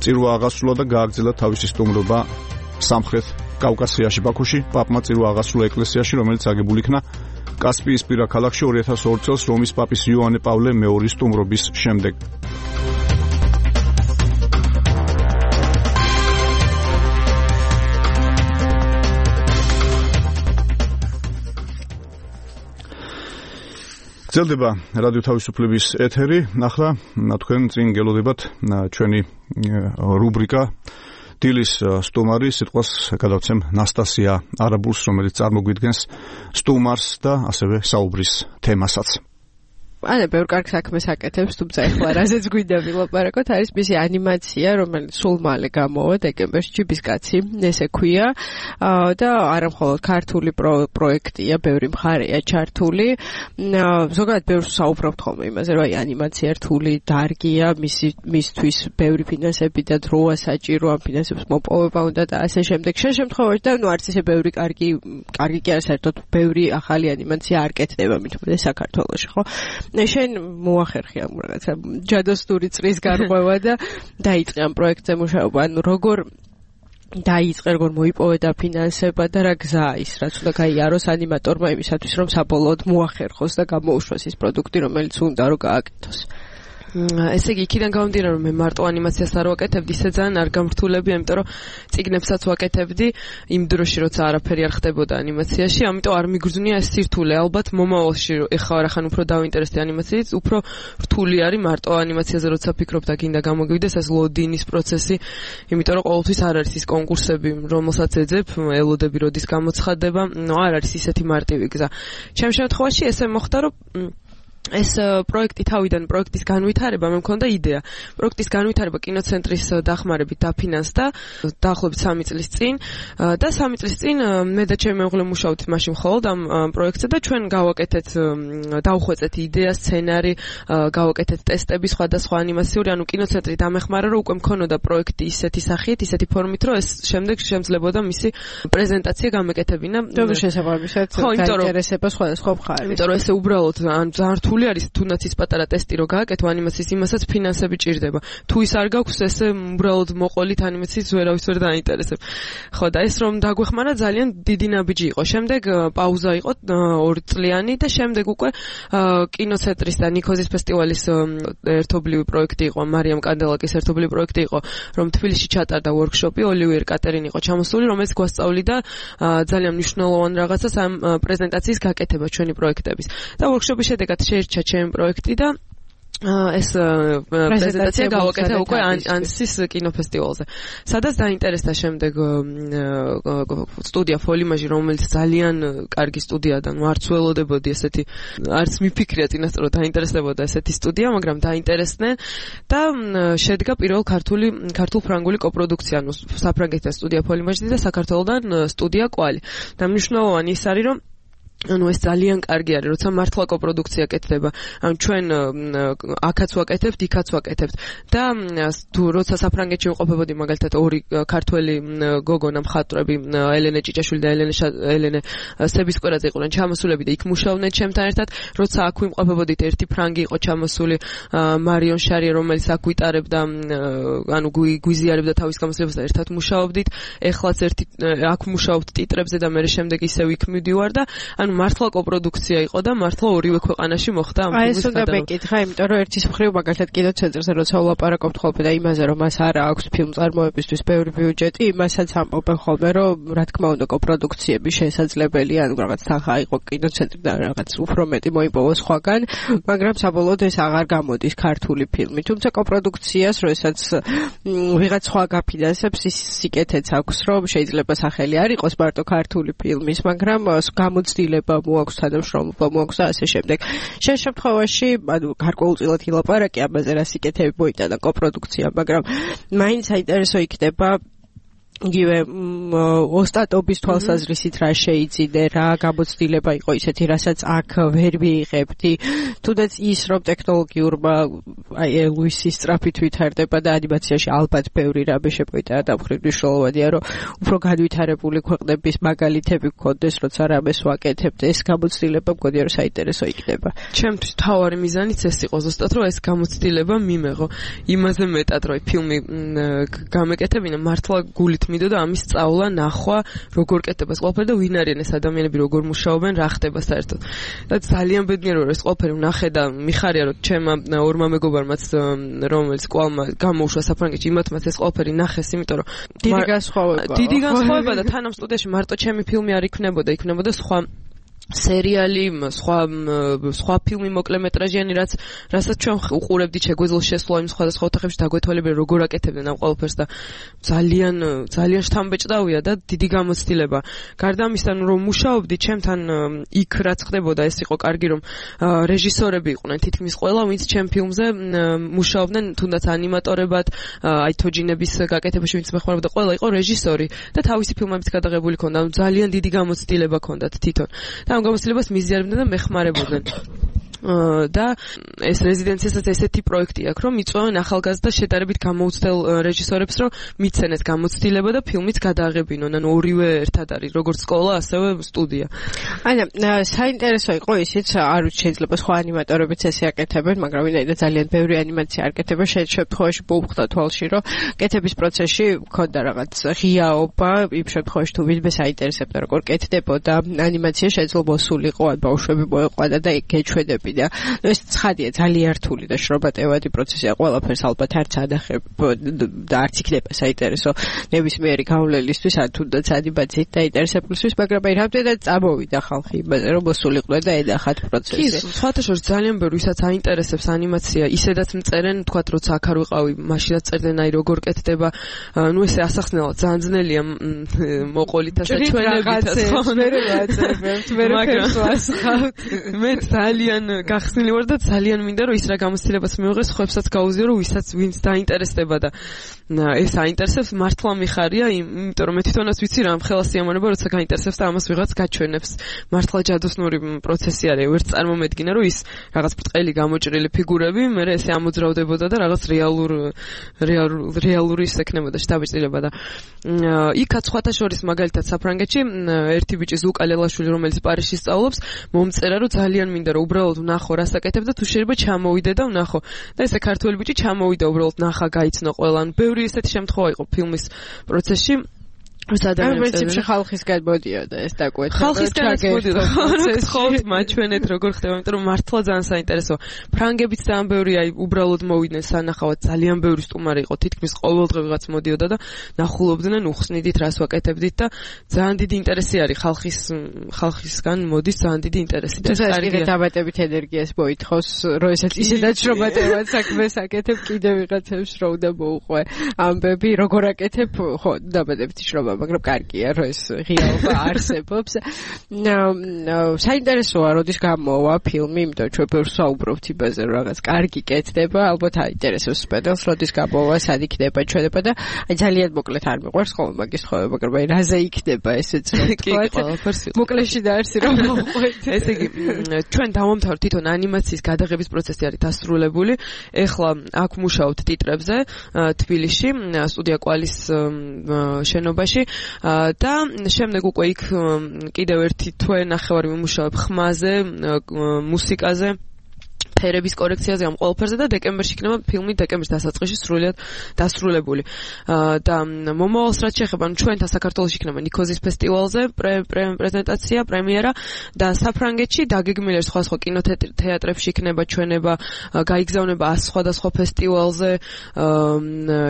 წირვა აღასრულა და გააგრძელა თავისი სტუმრობა სამხრეთ კავკასიაში. ბაქოში პაპმა წირვა აღასრულა ეკლესიაში, რომელიც აგებული იქნა კასპიისპირა ქალაქში ორი ათას ორი წელს რომის პაპის იოანე პავლე მეორის სტუმრობის შემდეგ. გრძელდება რადიო თავისუფლების ეთერი. ახლა თქვენ წინ გელოდებათ ჩვენი რუბრიკა დილის სტუმარი. სიტყვას გადავცემ ნასტასია არაბულს, რომელიც წარმოგვიდგენს სტუმარს და ასევე საუბრის თემასაც. ანა ბევრ კარგ საქმეს აკეთებს, თუმცა ეხლა რაზეც გვინდა ვილაპარაკოთ, არის მისი ანიმაცია, რომელიც სულ მალე გამოვა დეკემბერში, ჯიბის კაცი, ესე ქვია და არა მხოლოდ ქართული პროექტია, ბევრი მხარეა ჩართული. ზოგადად ბევრს საუბრობთ ხოლმე იმაზე, რომ აი ანიმაცია რთული დარგია, მისი მისთვის ბევრი ფინანსები და დროა საჭირო, ამ ფინანსებს მოპოვება უნდა და ასე შემდეგ. შენ შემთხვევაში და ნუ არც ისე ბევრი კარგი, კარგი კი არის საერთოდ ბევრი ახალი ანიმაცია არ კეთდება მithumedes საქართველოში, ხო? შენ მოახერხე ამ რაღაცა ჯადოსნური წრის გარღვევა და დაიწყე ამ პროექტზე მუშაობა. ანუ როგორ დაიწყე, როგორ მოიპოვე და ფინანსება და რა გზაა ის, რაც უნდა გაიაროს ანიმატორმა იმისათვის, რომ საბოლოოდ მოახერხოს და გამოუშვას ის პროდუქტი, რომელიც უნდა რომ გააკეთოს. ესე იგი, იქიდან გამომდინარე, რომ მე მარტო ანიმაციას არ ვაკეთებდი, ისე ძალიან არ გამრთულები, იმიტომ რომ წიგნებსაც ვაკეთებდი იმ დროში, როცა არაფერი არ ხდებოდა ანიმაციაში, ამიტომ არ მიგრძნია ეს სირთულე. ალბათ მომავალში ეხლა რახან უფრო დავინტერესდი ანიმაციით, უფრო რთული არის მარტო ანიმაციაზე, როცა ფიქრობ და გინდა გამოგივიდეს ეს ლოდინის პროცესი, იმიტომ რომ ყოველთვის არ არის ის კონკურსები, რომელსაც ეძებ, ელოდები როდის გამოცხადება, ნუ არ არის ისეთი მარტივი გზა. ჩემ შემთხვევაში ესე მოხდა, რომ ეს პროექტი თავიდან პროექტის განვითარება მე მქონდა იდეა. პროექტის განვითარება კინოცენტრის დახმარებით დაფინანსდა დაახლოებით სამი წლის წინ და სამი წლის წინ მე და ჩემი მეუღლე მუშაობთ მაშინ მხოლოდ ამ პროექტზე და ჩვენ გავაკეთეთ დავხვეწეთ იდეა, სცენარი, გავაკეთეთ ტესტები სხვადასხვა ანიმაციური, ანუ კინოცენტრი დამეხმარა რომ უკვე მქონოდა პროექტი ისეთი სახით, ისეთი ფორმით, რომ ეს შემდეგ შემძლებოდა მისი პრეზენტაცია გამეკეთებინა. რომელ შესაძლებლობისაც დაინტერესება სხვადასხვა მხარეს. იმიტომ რომ ესე უბრალოდ ან ზართული არის თუნდაც ის პატარა ტესტი რო გააკეთო ანიმაციის იმასაც ფინანსები ჭირდება. თუ ის არ გაქვს ესე უბრალოდ მოყოლით ანიმაციის ვერავის ვერ დაინტერესებ. ხო და ეს რომ დაგვეხმარა ძალიან დიდი ნაბიჯი იყო. შემდეგ პაუზა იყო ორი წლიანი და შემდეგ უკვე კინოცენტრის და ნიქოზის ფესტივალის ერთობლივი პროექტი იყო, მარიამ კანდელაკის ერთობლივი პროექტი იყო, რომ თბილისში ჩატარდა ვორქშოპი, ოლივიერ კატერინი იყო ჩამოსული, რომელიც გვასწავლიდა ძალიან მნიშვნელოვან რაღაცას ამ პრეზენტაციის გაკეთება ჩვენი პროექტების. და ვორქშოპის შედეგად შეირჩა ჩემი პროექტი და ეს პრეზენტაცია გავაკეთე უკვე ანსის კინოფესტივალზე. სადაც დაინტერესდა შემდეგ სტუდია ფოლიმაჟი, რომელიც ძალიან კარგი სტუდია და ნუ არც ველოდებოდი ესეთი, არც მიფიქრია წინასწარ დაინტერესდებოდა ესეთი სტუდია, მაგრამ დაინტერესდნენ და შედგა პირველ ქართული ქართულ-ფრანგული კოპროდუქცია, ანუ საფრანგეთიდან სტუდია ფოლიმაჟი და საქართველოსდან სტუდია კვალი. და მნიშვნელოვანი ის არის, რომ ანუ ეს ძალიან კარგი არის, როცა მართლა კოპროდუქცია კეთდება. ანუ ჩვენ აქაც ვაკეთებთ, იქაც ვაკეთებთ. და თუ როცა საფრანგეთში ვიყოფებოდი, მაგალითად ორი ქართველი გოგონა მხატვრები, ელენე ჭიჭაშვილი და ელენე ელენე სებისკვერაძე იყვნენ ჩამოსულები და იქ მუშაობდნენ ჩემთან ერთად. როცა აქ ვიმყოფებოდით, ერთი ფრანგი იყო ჩამოსული, მარიონ შარია, რომელიც აქ ვიტარებდა, ანუ გვიზიარებდა თავის გამოსვლებას და ერთად მუშაობდით. ეხლაც ერთი აქ მუშაობთ ტიტრებზე და მე შემდეგ ისევ იქ მივდივარ და ანუ მართლა კოპროდუქცია იყო და მართლა ორივე ქვეყანაში მოხდა ამ ფილმის გადაღება. აი ეს უნდა მეკითხა, იმიტომ რომ ერთის მხრივ მაგალითად კინოცენტრზე როცა ვლაპარაკობთ ხოლმე და იმაზე რომ მას არ აქვს ფილმ წარმოებისთვის ბევრი ბიუჯეტი, იმასაც ამბობენ ხოლმე რომ რა თქმა უნდა კოპროდუქციები შესაძლებელია, ანუ რაღაც თანხა იყო კინოცენტრიდან რაღაც უფრო მეტი მოიპოვოს სხვაგან, მაგრამ საბოლოოდ ეს აღარ გამოდის ქართული ფილმი. თუმცა კოპროდუქციას როდესაც ვიღაც სხვა გაფინანსებს, ის სიკეთეც აქვს, რომ შეიძლება სახელი არ იყოს მარტო ქართული ფილმის, მაგრამ გამოცდილება მოაქვს, თანამშრომლობა მოაქვს და ასე შემდეგ. შენ შემთხვევაში, ანუ გარკვეულწილად ილაპარაკე ამაზე, რა სიკეთეები მოიტანა კოპროდუქცია, მაგრამ მაინც საინტერესო იქნება იგივე ოსტატობის თვალსაზრისით რა შეიძინე, რა გამოცდილება იყო ისეთი, რასაც აქ ვერ ვიიღებდი. თუნდაც ის რომ ტექნოლოგიურმა აი ლუისის სწრაფით ვითარდება და ანიმაციაში ალბათ ბევრი რამე შემოიტანა და მხრივ მნიშვნელოვანია, რომ უფრო განვითარებული ქვეყნების მაგალითები გქონდეს, როცა რამეს ვაკეთებთ, ეს გამოცდილება მგონია რომ საინტერესო იქნება. ჩემთვის თავარი მიზანიც ეს იყო ზუსტად, რომ ეს გამოცდილება მიმეღო. იმაზე მეტად რომ ფილმი გამეკეთებინა მართლა გულით მიდოდა ამის სწავლა, ნახვა, როგორ კეთდება ეს ყველაფერი და ვინ არიან ეს ადამიანები, როგორ მუშაობენ, რა ხდება საერთოდ. და ძალიან ბედნიერი ვარ ეს ყველაფერი ვნახე და მიხარია რომ ჩემმა ორმა მეგობარმაც რომელიც კვალმა გამოუშვა საფრანგეთში, იმათმაც ეს ყველაფერი ნახეს, იმიტომ რომ დიდი განსხვავება. დიდი განსხვავება და თან ამ სტუდიაში მარტო ჩემი ფილმი არ იქნებოდა, იქნებოდა სხვა სერიალი, სხვა სხვა ფილმი მოკლემეტრაჟიანი, რაც რასაც ჩვენ უყურებდით, შეგვეძლოს შესვლა იმ სხვადასხვა ოთახებში დაგვეთვალებია როგორ აკეთებდნენ ამ ყველაფერს და ძალიან ძალიან შთამბეჭდავია და დიდი გამოცდილება. გარდა ამისა, რომ მუშაობდი ჩემთან იქ რაც ხდებოდა, ეს იყო კარგი, რომ რეჟისორები იყვნენ თითქმის ყველა, ვინც ჩემ ფილმზე მუშაობდნენ, თუნდაც ანიმატორებად, აი თოჯინების გაკეთებაში ვინც მეხმარებოდა, ყველა იყო რეჟისორი და თავისი ფილმებიც გადაღებული ქონდა, ძალიან დიდი გამოცდილება ქონდათ თვითონ. ამ გამოცდილებას მიზიარებდნენ და მეხმარებოდნენ. და ეს რეზიდენციასაც ესეთი პროექტი აქვს, რომ მიწვევენ ახალგაზრდა შედარებით გამოუცდელ რეჟისორებს, რომ მიცენეს გამოცდილება და ფილმიც გადააღებინონ. ანუ ორივე ერთად არის, როგორც სკოლა, ასევე სტუდია. ანა, საინტერესო იყო ისიც, არ ვიცი, შეიძლება სხვა ანიმატორებიც ესე აკეთებენ, მაგრამ ვინაიდან ძალიან ბევრი ანიმაცია არ კეთება, შემთხვევაში მოუხდა თვალში, რომ კეთების პროცესში მქონდა რაღაც ღიაობა, იმ შემთხვევაში თუ ვინმე საინტერესებდა, როგორ კეთდებოდა ანიმაცია, შეიძლება მოსულიყო, ან ბავშვები მოეყვანა და გეჩვენებინა. ეს ცხადია, ძალიან რთული და შრომატევადი პროცესია, ყველაფერს ალბათ არც ანახებ და არც იქნება საინტერესო ნებისმიერი გავლენისთვის, ან თუნდაც ანიმაციით დაინტერესებულისთვის, მაგრამ აი რამდენად წამოვიდა ხალხი იმაზე, რომ მოსულიყვნენ და ენახათ პროცესი. კი, სხვათა შორის ძალიან ბევრი, ვისაც აინტერესებს ანიმაცია, ისედაც მწერენ, თქვათ, როცა აქ არ ვიყავი, მაშინაც წერდნენ, აი როგორ კეთდება, ნუ ესე ასახსნელად, ძალიან ძნელია მოყოლითა საჩვენებითაც, მე ვაწერებთ, მე ფერს ვასხავთ. მე ძალიან გახსნილი ვარ და ძალიან მინდა რომ ის რა გამოცდილებას მიიღეს ხუებსაც გაუზიო რომ ვისაც ვინც დაინტერესდება და ეს აინტერესებს მართლა მიხარია იმიტომ რომ მე თვითონაც ვიცი რა ხელა სიამოვნება როცა გაინტერესებს და ამას ვიღაც გაჩვენებს მართლა ჯადოსნური პროცესი არის ვერც წარმომედგინა რომ ის რაღაც ბრტყელი გამოჭრილი ფიგურები მე ესე ამოძრავდებოდა და რაღაც რეალურ რეალური ის ექნებოდა შტაბჭდილება და იქაც სხვათა შორის მაგალითად საფრანგეთში ერთი ბიჭი ზუკა ლელაშვილი რომელიც პარიზში სწავლობს მომწერა რომ ძალიან მინდა რომ უბრალოდ ვნახო რას აკეთებ და თუ შეიძლება ჩამოვიდე და ვნახო და ესე ქართველი ბიჭი ჩამოვიდა უბრალოდ ნახა გაიცნო ყველან ბევრი ესეთი შემთხვევა იყო ფილმის პროცესში პრინციპში ხალხისგან მოდიოდა ეს დაკვეთა. ხალხისგანაც მოდიოდა. ხოთ მაჩვენეთ როგორ ხდება, იმიტომ რომ მართლა ძალიან საინტერესოა. ფრანგებიც ძალიან ბევრი აი უბრალოდ მოვიდნენ სანახავად, ძალიან ბევრი სტუმარი იყო, თითქმის ყოველდღე ვიღაც მოდიოდა და ნახულობდნენ, უხსნიდით, რას ვაკეთებდით და ძალიან დიდი ინტერესი არის ხალხის ხალხისგან მოდის ძალიან დიდი ინტერესი და კარგი დაბატებით ენერგიას მოითხოვს, რომ ესეც ისედაც შრომატევად საქმეს აკეთებ, კიდე ვიღაცებს რო უნდა მოუყვე ამბები, როგორ აკეთებ, ხო, დაბატებით შრომა მაგრამ კარგია რომ ეს ღიაობა არსებობს. საინტერესოა როდის გამოვა ფილმი, იმიტომ ჩვენ ბევრს საუბრობთ იმაზე რომ რაღაც კარგი კეთდება, ალბათ აინტერესებს სპეციალს როდის გამოვა, სად იქნება, ჩვენება და აი ძალიან მოკლედ არ მიყვარს ხოლმე მაგის ხოვება, მაგრამ აი რაზე იქნება ესეც თქვა. მოკლეში და არსი რომ მოყვეთ. ესე იგი ჩვენ დავამთავრეთ თვითონ ანიმაციის გადაღების პროცესი არის დასრულებული. ეხლა აქ მუშაობთ ტიტრებზე თბილისში, სტუდია კვალის შენობაში და შემდეგ უკვე იქ კიდევ ერთი თვე ნახევარი ვიმუშავებ ხმაზე, მუსიკაზე, ფერების კორექციაზე ამ ყველაფერზე და დეკემბერში იქნება ფილმი დეკემბრის დასაწყისში სრულიად დასრულებული. და მომავალს რაც შეეხება, ჩვენთან საქართველოში იქნება ნიქოზის ფესტივალზე პრეზენტაცია, პრემიერა და საფრანგეთში დაგეგმილია სხვადასხვა კინოთეატრებში იქნება ჩვენება, გაიგზავნება სხვადასხვა ფესტივალზე,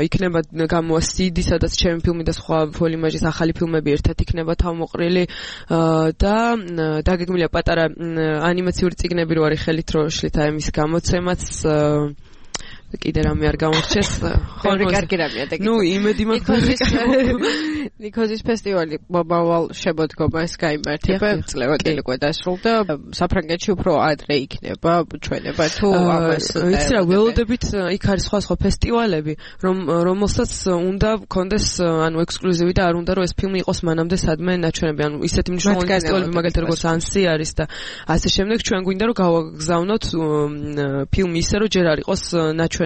იქნება გამოვა სიდი, სადაც ჩემი ფილმი და სხვა ფოლიმაჟის ახალი ფილმები ერთად იქნება თავმოყრილი და დაგეგმილია პატარა ანიმაციური წიგნები რო არის ხელით რო შლით აი მის გამოცემაც კიდე რამე არ გამორჩეს. ხო, კარგი რამეა და ნუ იმედი მაქვს ნიქოზის ფესტივალი მომავალ შემოდგომას გაიმართება, წლევადელი უკვე დასრულდა. საფრანგეთში უფრო ადრე იქნება ჩვენება თუ ამას იცი რა ველოდებით იქ არის სხვა სხვა ფესტივალები, რომ რომელსაც უნდა კონდეს ანუ ექსკლუზივი და არ უნდა რომ ეს ფილმი იყოს მანამდე სადმე ნაჩვენები, ანუ ისეთი მნიშვნელოვანი ფესტივალები მაგალითად როგორც ანსი არის და ასე შემდეგ ჩვენ გვინდა რომ გავაგზავნოთ ფილმი ისე რომ ჯერ არ იყოს ნაჩვენები.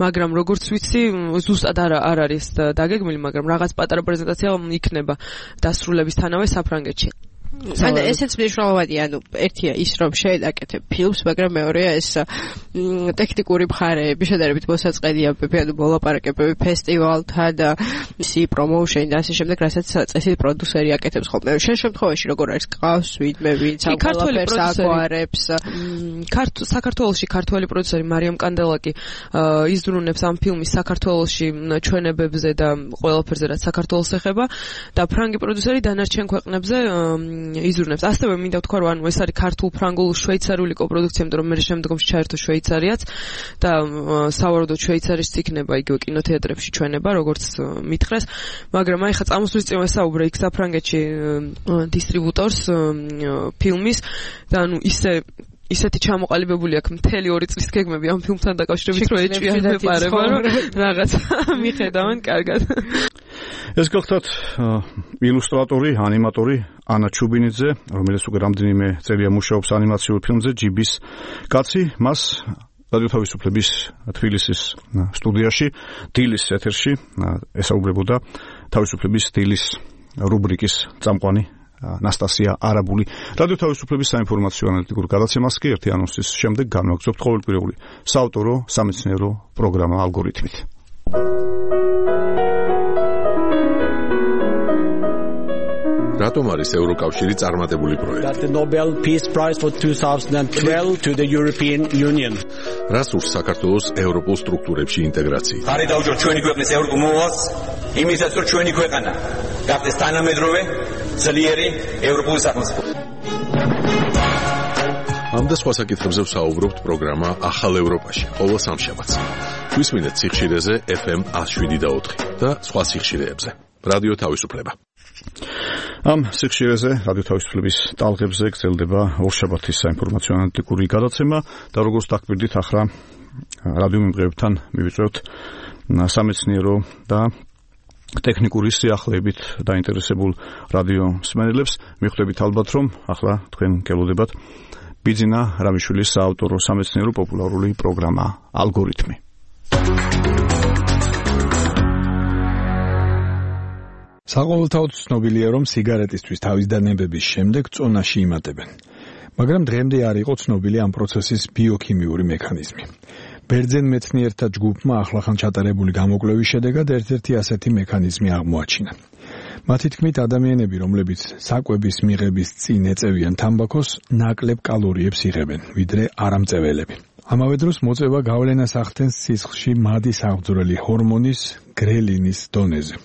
მაგრამ როგორც ვიცი, ზუსტად არ არ არის დაგეგმილი, მაგრამ რაღაც პატარა პრეზენტაცია იქნება დასრულებისთანავე საფრანგეთში. ანუ ესეც მნიშვნელოვანია, ანუ ერთია ის რომ შეედაკეთებ ფილმს, მაგრამ მეორეა ეს ტექნიკური მხარეები, შედარებით მოსაწყენიებები, ანუ მოლაპარაკებები ფესტივალთან და ისი პრომოუშენი და ასე შემდეგ, რასაც წესით პროდიუსერი აკეთებს ხოლმე. შენ შემთხვევაში როგორ არის ყავს ვინმე ვინც ამ ყველაფერს აკვარებს? საქართველოში ქართველი პროდიუსერი მარიამ კანდელაკი იზრუნებს ამ ფილმის საქართველოში ჩვენებებზე და ყველაფერზე რაც საქართველოს ეხება და ფრანგი პროდიუსერი დანარჩენ ქვეყნებზე იზრუნებს. ასევე მინდა ვთქვა, რომ ანუ ეს არის ქართულ ფრანგულ შვეიცარიული კოპროდუქცია, იმიტომ რომ მე შემდგომში ჩაერთო შვეიცარიაც და სავარაუდოდ შვეიცარიის იქნება იგივე კინოთეატრებში ჩვენება, როგორც მითხრეს, მაგრამ აი ხა წამოსვლის წინ ვესაუბრე იქ საფრანგეთში დისტრიბუტორს ფილმის და ანუ ისე ისეთი ჩამოყალიბებული აქვს მთელი ორი წლის გეგმები ამ ფილმთან დაკავშირებით, რომ ეჭვიან მეპარება, რომ რაღაც მიხედავენ კარგად. ეს გახლავთ ილუსტრატორი, ანიმატორი ანა ჩუბინიძე, რომელიც უკვე რამდენიმე წელია მუშაობს ანიმაციურ ფილმზე ჯიბის კაცი, მას რადიო თავისუფლების თბილისის სტუდიაში, დილის ეთერში ესაუბრებოდა თავისუფლების დილის რუბრიკის წამყვანი ნასტასია არაბული. რადიო თავისუფლების საინფორმაციო ანალიტიკურ გადაცემას კი ერთი ანონსის შემდეგ განვაგრძობთ ყოველკვირეული საავტორო სამეცნიერო პროგრამა ალგორითმით. რატომ არის ევროკავშირი წარმატებული პროექტი? That the Nobel Peace Prize for twenty twelve to the European Union. რას ურს საქართველოს ევროპულ სტრუქტურებში ინტეგრაცია? ხარი დავჯეროთ ჩვენი ქვეყნის ევროპულ მოვალს, იმისაც რომ ჩვენი ქვეყანა გახდეს თანამედროვე, ძლიერი ევროპული სახელმწიფო. ამ და სხვა საკითხებზე ვსაუბრობთ პროგრამა ახალ ევროპაში, ყოველ სამშაბათს. გვისმინეთ სიხშირეზე ეფ ემ one oh seven და ოთხი და სხვა სიხშირეებზე. რადიო თავისუფლება. ამ სიხშირეზე რადიო თავისუფლების ტალღებზე გრძელდება ორშაბათის საინფორმაციო ანალიტიკური გადაცემა და როგორც დაგკვირდით ახლა რადიო მიმღებებთან მივიწვევთ სამეცნიერო და ტექნიკური სიახლეებით დაინტერესებულ რადიო მსმენელებს. მიხვდებით ალბათ რომ ახლა თქვენ გელოდებათ ბიძინა რამიშვილის საავტორო სამეცნიერო პოპულარული პროგრამა ალგორითმი. საყოველთაოდ ცნობილია, რომ სიგარეტისთვის თავის დანებების შემდეგ წონაში იმატებენ. მაგრამ დღემდე არ იყო ცნობილი ამ პროცესის ბიოქიმიური მექანიზმი. ბერძენ მეცნიერთა ჯგუფმა ახლახან ჩატარებული გამოკვლევის შედეგად ერთ-ერთი ასეთი მექანიზმი აღმოაჩინა. მათი თქმით, ადამიანები, რომლებიც საკვების მიღების წინ ეწევიან თამბაქოს, ნაკლებ კალორიებს იღებენ, ვიდრე არამწეველები. ამავე დროს მოწევა გავლენას ახდენს სისხლში მადი საღვძრელი ჰორმონის გრელინის დონეზე.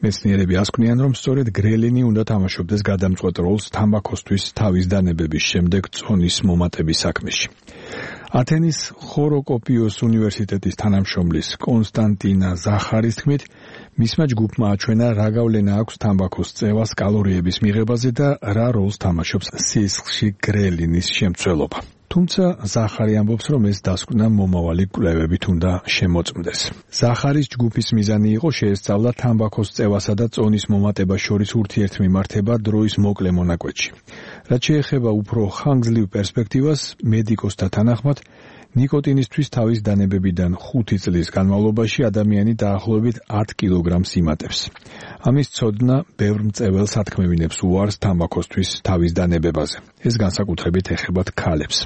მეცნიერები ასკვნიან, რომ სწორედ გრელინი უნდა თამაშობდეს გადამწყვეტ როლს თამბაქოსთვის თავის დანებების შემდეგ წონის მომატების საქმეში. ათენის ხოროკოპიოს უნივერსიტეტის თანამშრომლის კონსტანტინა ზახარის თქმით, მისმა ჯგუფმა აჩვენა, რა გავლენა აქვს თამბაქოს წევას კალორიების მიღებაზე და რა როლს თამაშობს სისხლში გრელინის შემცველობა. თუმცა ზახარი ამბობს, რომ ეს დასკვნა მომავალი კვლევებით უნდა შემოწმდეს. ზახარის ჯგუფის მიზანი იყო შეესწავლა თამბაქოს წევასა და წონის მომატებას შორის ურთიერთმიმართება დროის მოკლე მონაკვეთში. რაც შეეხება უფრო ხანგრძლივ პერსპექტივას, მედიკოსთა თანახმად, ნიკოტინისთვის თავის დანებებიდან ხუთი წლის განმავლობაში ადამიანი დაახლოებით ათ კილოგრამს იმატებს. ამის ცოდნა ბევრ მწეველს ათქმევინებს უარს თამბაქოსთვის თავის დანებებაზე. ეს განსაკუთრებით ეხებათ ქალებს.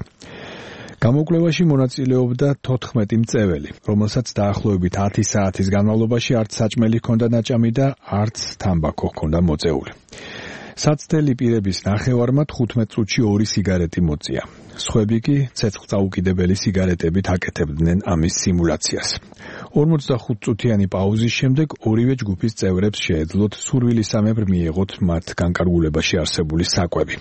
გამოკვლევაში მონაწილეობდა თოთხმეტი მწეველი, რომელსაც დაახლოებით ათი საათის განმავლობაში არც საჭმელი ჰქონდა ნაჭამი და არც თამბაქო ჰქონდა მოწეული. საცდელი პირების ნახევარმა თხუთმეტ წუთში ორი სიგარეტი მოწია. სხვები კი ცეცხლწაუკიდებელი სიგარეტებით აკეთებდნენ ამის სიმულაციას. ორმოცდახუთ წუთიანი პაუზის შემდეგ ორივე ჯგუფის წევრებს შეეძლოთ სურვილისამებრ მიეღოთ მათ განკარგულებაში არსებული საკვები.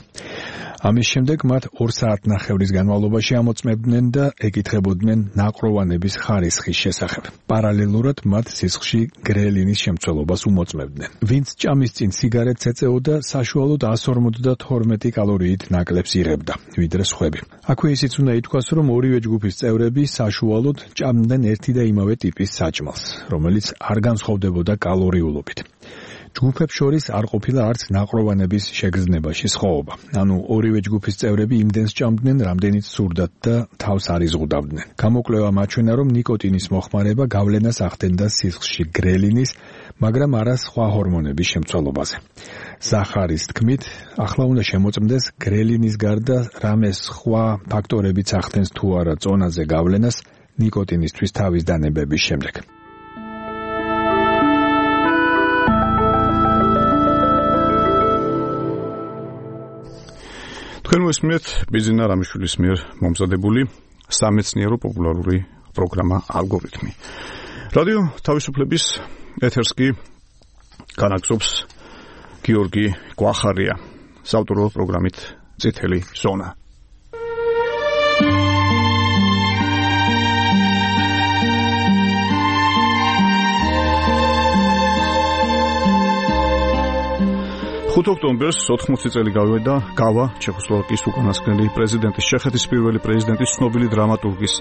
ამის შემდეგ მათ ორ საათნახევრის განმავლობაში ამოწმებდნენ და ეკითხებოდნენ ნაყროვანების ხარისხის შესახებ. პარალელურად მათ სისხლში გრელინის შემცველობას უმოწმებდნენ. ვინც ჭამის წინ სიგარეტს ეწეოდა, საშუალოდ εκατს ორმოცდათორმეტი კალორიით ნაკლებს იღებდა, ვიდრე სხვები. აქვე ისიც უნდა ითქვას, რომ ორივე ჯგუფის წევრები საშუალოდ ჭამდნენ ერთი და იმავე ტიპის საჭმელს, რომელიც არ განსხვავდებოდა კალორიულობით. ჯგუფებს შორის არ ყოფილა არც ნაყროვანების შეგრძნებაში სხვაობა. ანუ ორივე ჯგუფის წევრები იმდენს ჭამდნენ, რამდენიც სურდათ და თავს არ იზღუდავდნენ. გამოკვლევამ აჩვენა, რომ ნიკოტინის მოხმარება გავლენას ახდენდა სისხლში გრელინის, მაგრამ არა სხვა ჰორმონების შემცველობაზე. ზახარის თქმით, ახლა უნდა შემოწმდეს გრელინის გარდა რამე სხვა ფაქტორებიც ახდენს თუ არა წონაზე გავლენას ნიკოტინისთვის თავის დანებების შემდეგ. თქვენ მოსმენთ ბიძინა რამიშვილის მიერ მომზადებული სამეცნიერო პოპულარული პროგრამა ალგორითმი. რადიო თავისუფლების ეთერს კი განაგზობს გიორგი გვახარია საავტორო პროგრამით წითელი ზონა. ხუთი ოქტომბერს ოთხმოცი წელი გავიდა გავა ჩეხოსლოვაკიის უკანასკნელი პრეზიდენტის ჩეხეთის პირველი პრეზიდენტის ცნობილი დრამატურგის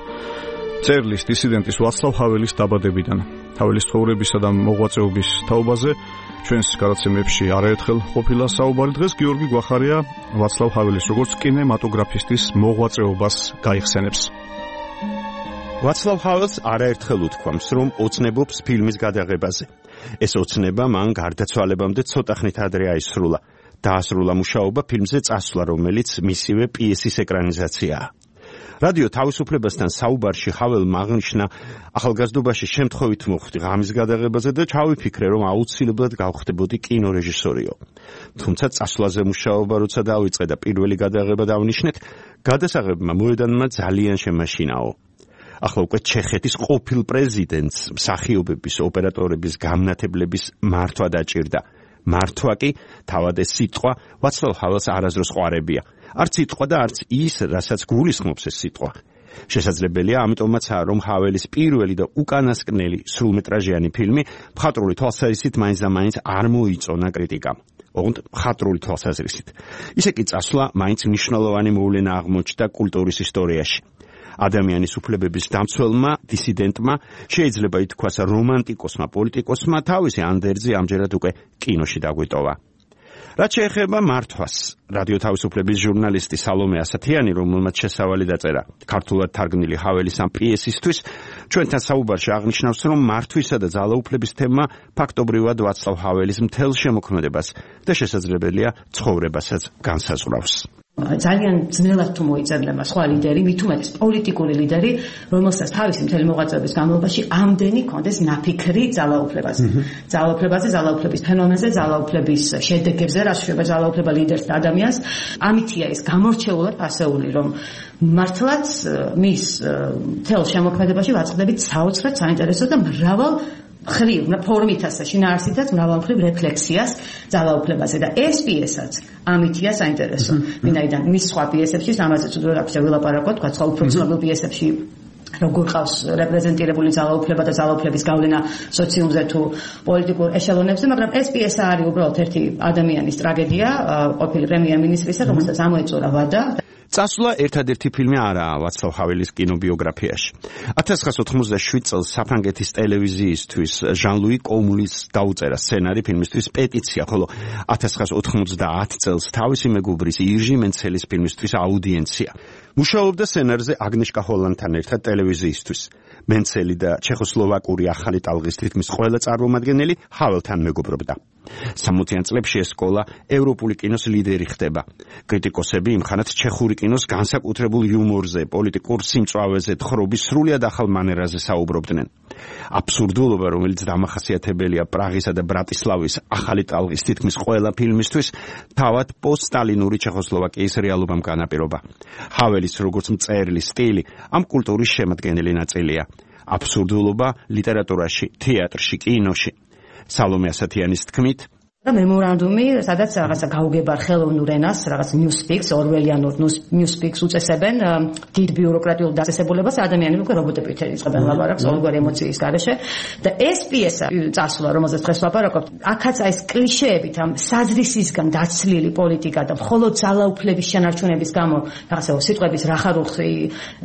წერლის დისიდენტის ვაცლავ ჰაველის დაბადებიდან. ჰაველის ცხოვრებისა და მოღვაწეობის თაობაზე ჩვენს გადაცემებში არაერთხელ ყოფილა საუბარი. დღეს გიორგი გვახარია ვაცლავ ჰაველის როგორც კინემატოგრაფისტის მოღვაწეობას გაიხსენებს. ვაცლავ ჰაველს არაერთხელ უთქვამს, რომ ოცნებობს ფილმის გადაღებაზე. ეს ოცნება მან გარდაცვალებამდე ცოტახნით ადრე აისრულა. დაასრულა მუშაობა ფილმზე წასვლა, რომელიც მისივე პიესის ეკრანიზაციაა. რადიო თავისუფლებასთან საუბარში ჰაველმა აღნიშნა, ახალგაზრდობაში შემთხვევით მოხვდი ღამის გადაღებაზე და ჩავიფიქრე, რომ აუცილებლად გავხდებოდი კინორეჟისორიო. თუმცა წასვლაზე მუშაობა როცა დავიწყე და პირველი გადაღება დავნიშნეთ, გადასაღებმა მოედანმა ძალიან შემაშინაო. ახლა უკვე ჩეხეთის ყოფილ პრეზიდენტს მსახიობების, ოპერატორების გამნათებლების მართვა დაჭირდა. მართვა კი თავად ეს სიტყვა ვაცლავ ჰაველს არასდროს ყვარებია. არც სიტყვა და არც ის, რასაც გულისხმობს ეს სიტყვა. შესაძლებელია, ამიტომაცაა, რომ ჰაველის პირველი და უკანასკნელი სრულმეტრაჟიანი ფილმი მხატვრული თვალსაზრისით მაინც და მაინც არ მოიწონა კრიტიკამ. ოღონდ მხატვრული თვალსაზრისით. ისე კი წასვლა მაინც მნიშვნელოვანი მოვლენა აღმოჩნდა კულტურის ისტორიაში. ადამიანის უფლებების დამცველმა, დისიდენტმა, შეიძლება ითქვას რომანტიკოსმა პოლიტიკოსმა თავისი ანდერძი ამჯერად უკვე კინოში დაგვიტოვა. რაც შეეხება მართვას, რადიო თავისუფლების ჟურნალისტი სალომე ასათიანი, რომელმაც შესავალი დაწერა ქართულად თარგმნილი ჰაველის ამ პიესისთვის, ჩვენთან საუბარში აღნიშნავს, რომ მართვისა და ძალაუფლების თემა ფაქტობრივად ვაცლავ ჰაველის მთელ შემოქმედებას და შესაძლებელია ცხოვრებასაც განსაზღვრავს. ძალიან ძნელად თუ მოიწერდება სხვა ლიდერი, მით უმეტეს პოლიტიკური ლიდერი, რომელსაც თავისი მთელი მოღვაწეობის განმავლობაში ამდენი კონდეს ნაფიქრი ძალაუფლებაზე. ძალაუფლებაზე, ძალაუფლების ფენომენზე, ძალაუფლების შედეგებზე, რაც შეეხება ძალაუფლება ლიდერს და ადამიანს, ამითია ის გამორჩეულად ასეული, რომ მართლაც მის მთელ შემოქმედებაში ვაწყდებით საოცრად საინტერესო და მრავალ ხრივ ფორმითაც და შინაარსითაც მრავალმხრივ რეფლექსიას ძალაუფლებაზე და ეს პიესაც ამითია საინტერესო. ვინაიდან მის სხვა პიესებში ამაზე თუ რა ქვია ვილაპარაკოთ, თქვა სხვა უფრო ცნობილ პიესებში როგორ ყავს რეპრეზენტირებული ძალაუფლება და ძალაუფლების გავლენა სოციუმზე თუ პოლიტიკურ ეშელონებზე, მაგრამ ეს პიესა არის უბრალოდ ერთი ადამიანის ტრაგედია, ყოფილი პრემიერ-მინისტრისა, რომელსაც ამოეწურა ვადა. წასვლა ერთადერთი ფილმი არაა ვაცლავ ჰაველის კინობიოგრაფიაში. ათას ცხრაასი ოთხმოცდაშვიდ წელს საფრანგეთის ტელევიზიისთვის ჟან-ლუი კომულის დაუწერა სცენარი ფილმისთვის პეტიცია, ხოლო ათას ცხრაასი ოთხმოცდაათი წელს თავისი მეგობრის ირჟი მენცელის ფილმისთვის აუდიენცია. მუშაობდა სცენარზე აგნეშკა ჰოლანდთან ერთად ტელევიზიისთვის. მენცელი და ჩეხოსლოვაკური ახალი ტალღის თითქმის ყველა წარმომადგენელი ჰაველთან მეგობრობდა. სამოციან წლებში ეს სკოლა ევროპული კინოს ლიდერი ხდება. კრიტიკოსები იმხანად ჩეხური კინოს განსაკუთრებულ იუმორზე, პოლიტიკურ სიმწვავეზე, თხრობის სრულიად ახალ მანერაზე საუბრობდნენ. აბსურდულობა, რომელიც დამახასიათებელია პრაღისა და ბრატისლავის ახალი ტალღის თითქმის ყველა ფილმისთვის, თავად პოსტსტალინური ჩეხოსლოვაკიის რეალობამ განაპირობა. ჰაველის როგორც მწერლის სტილი ამ კულტურის შემადგენელი ნაწილია. აბსურდულობა ლიტერატურაში, თეატრში, კინოში. სალომე ასათიანის თქმით, და მემორანდუმი, სადაც რაღაცა გაუგებარ ხელოვნურ ენას, რაღაც newspeaks, ორველიანურ newspeaks უწესებენ დიდ ბიუროკრატიულ დაწესებულებას, ადამიანები უკვე რობოტებით იწყებენ ლაპარაკს ყოველგვარი ემოციის გარეშე და ეს პიესა წასვლა, რომელზეც დღეს ვაპარაკობთ, აქაც ეს კლიშეებით ამ საძრისისგან დაცლილი პოლიტიკა და მხოლოდ ძალაუფლების შენარჩუნების გამო რაღაცა სიტყვების რახარუხი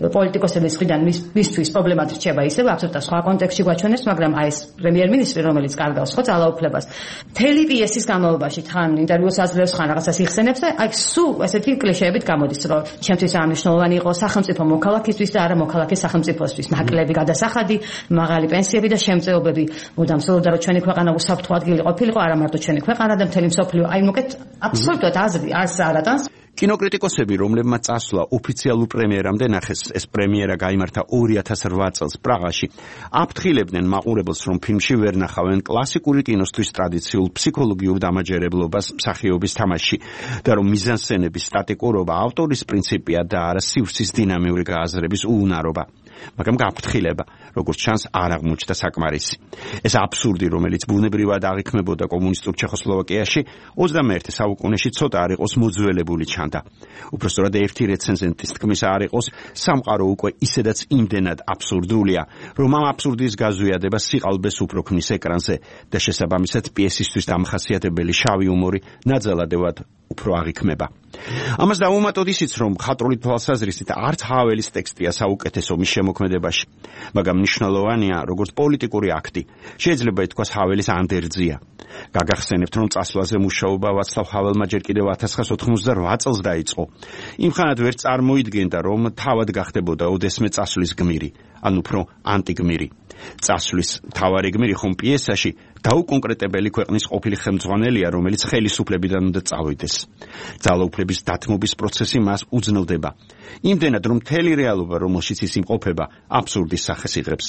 პოლიტიკოსების მხრიდან მისთვის პრობლემად რჩება ისევ აბსოლუტურად სხვა კონტექსტში გვაჩვენებს, მაგრამ აი ეს პრემიერ-მინისტრი, რომელიც კარგავს ხო ძალაუფლებას, მთელი პიესის განმავლობაში თან ინტერვიუს აძლევს, ხან რაღაცას იხსენებს და აი სულ ესეთი კლიშეებით გამოდის, რომ ჩემთვის ამნიშნულოვანი იყო სახელმწიფო მოქალაქისთვის და არა მოქალაქის სახელმწიფოსთვის. ნაკლები გადასახადი, მაღალი პენსიები და შემწეობები. მუდამ სულობდა რომ ჩვენი ქვეყანა უსაფრთხო ადგილი ყოფილიყო, არა მარტო ჩვენი ქვეყანა და მთელი მსოფლიო. აი მოკეთ აბსოლუტურად აზრი არც არატანს. კინოკრიტიკოსები, რომლებმაც წასვლა ოფიციალურ პრემიერამდე ნახეს, ეს პრემიერა გაიმართა ორი ათას რვა წელს პრაღაში, აფრთხილებდნენ მაყურებელს, რომ ფილმში ვერ ნახავენ კლასიკური კინოსთვის ტრადიციულ ფსიქოლოგიურ დამაჯერებლობას მსახიობის თამაში და რომ მიზანსცენების სტატიკურობა ავტორის პრინციპია და არა სივრცის დინამიური გააზრების უუნარობა. მაგრამ გაფრთხილება, როგორც ჩანს, არ აღმოჩნდა საკმარისი. ეს აბსურდი, რომელიც ბუნებრივად აღიქმებოდა კომუნისტურ ჩეხოსლოვაკიაში, ოცდამეერთე საუკუნეში ცოტა არ იყოს მოძველებული ჩანდა. უпростоრად ერთი რეცენზენტის თქმის არ იყოს, სამყარო უკვე ისედაც იმდენად აბსურდულია, რომ ამ აბსურდის გაზვიადება სიყალბეს უფრო ქმნის ეკრანზე და შესაბამისად პიესისთვის დამახასიათებელი შავი ჰუმორი ნაძალადევად უფრო აღიქმება. ამას დავუმატოთ ისიც, რომ მხატვრული თვალსაზრისით არც ჰაველის ტექსტია საუკეთესო მის შემოქმედებაში, მაგრამ მნიშვნელოვანია როგორც პოლიტიკური აქტი. შეიძლება ითქვას ჰაველის ანდერძია. გაგახსენებთ, რომ წასვლაზე მუშაობა ვაცლავ ჰაველმა ჯერ კიდევ ათას ცხრაასი ოცდაოთხმოცდარვა წელს დაიწყო. იმხანად ვერ წარმოიდგენდა, რომ თავად გახდებოდა ოდესმე წასვლის გმირი, ან უფრო ანტიგმირი. წასვლის მთავარი გმირი ხომ პიესაში დაუკონკრეტებელი ქვეყნის ყოფილი ხელმძღვანელია, რომელიც ხელისუფლებიდან უნდა წავიდეს. ძალაუფლების დათმობის პროცესი მას უძნელდება. იმდენად, რომ მთელი რეალობა, რომელშიც ის იმყოფება, აბსურდის სახეს იღებს.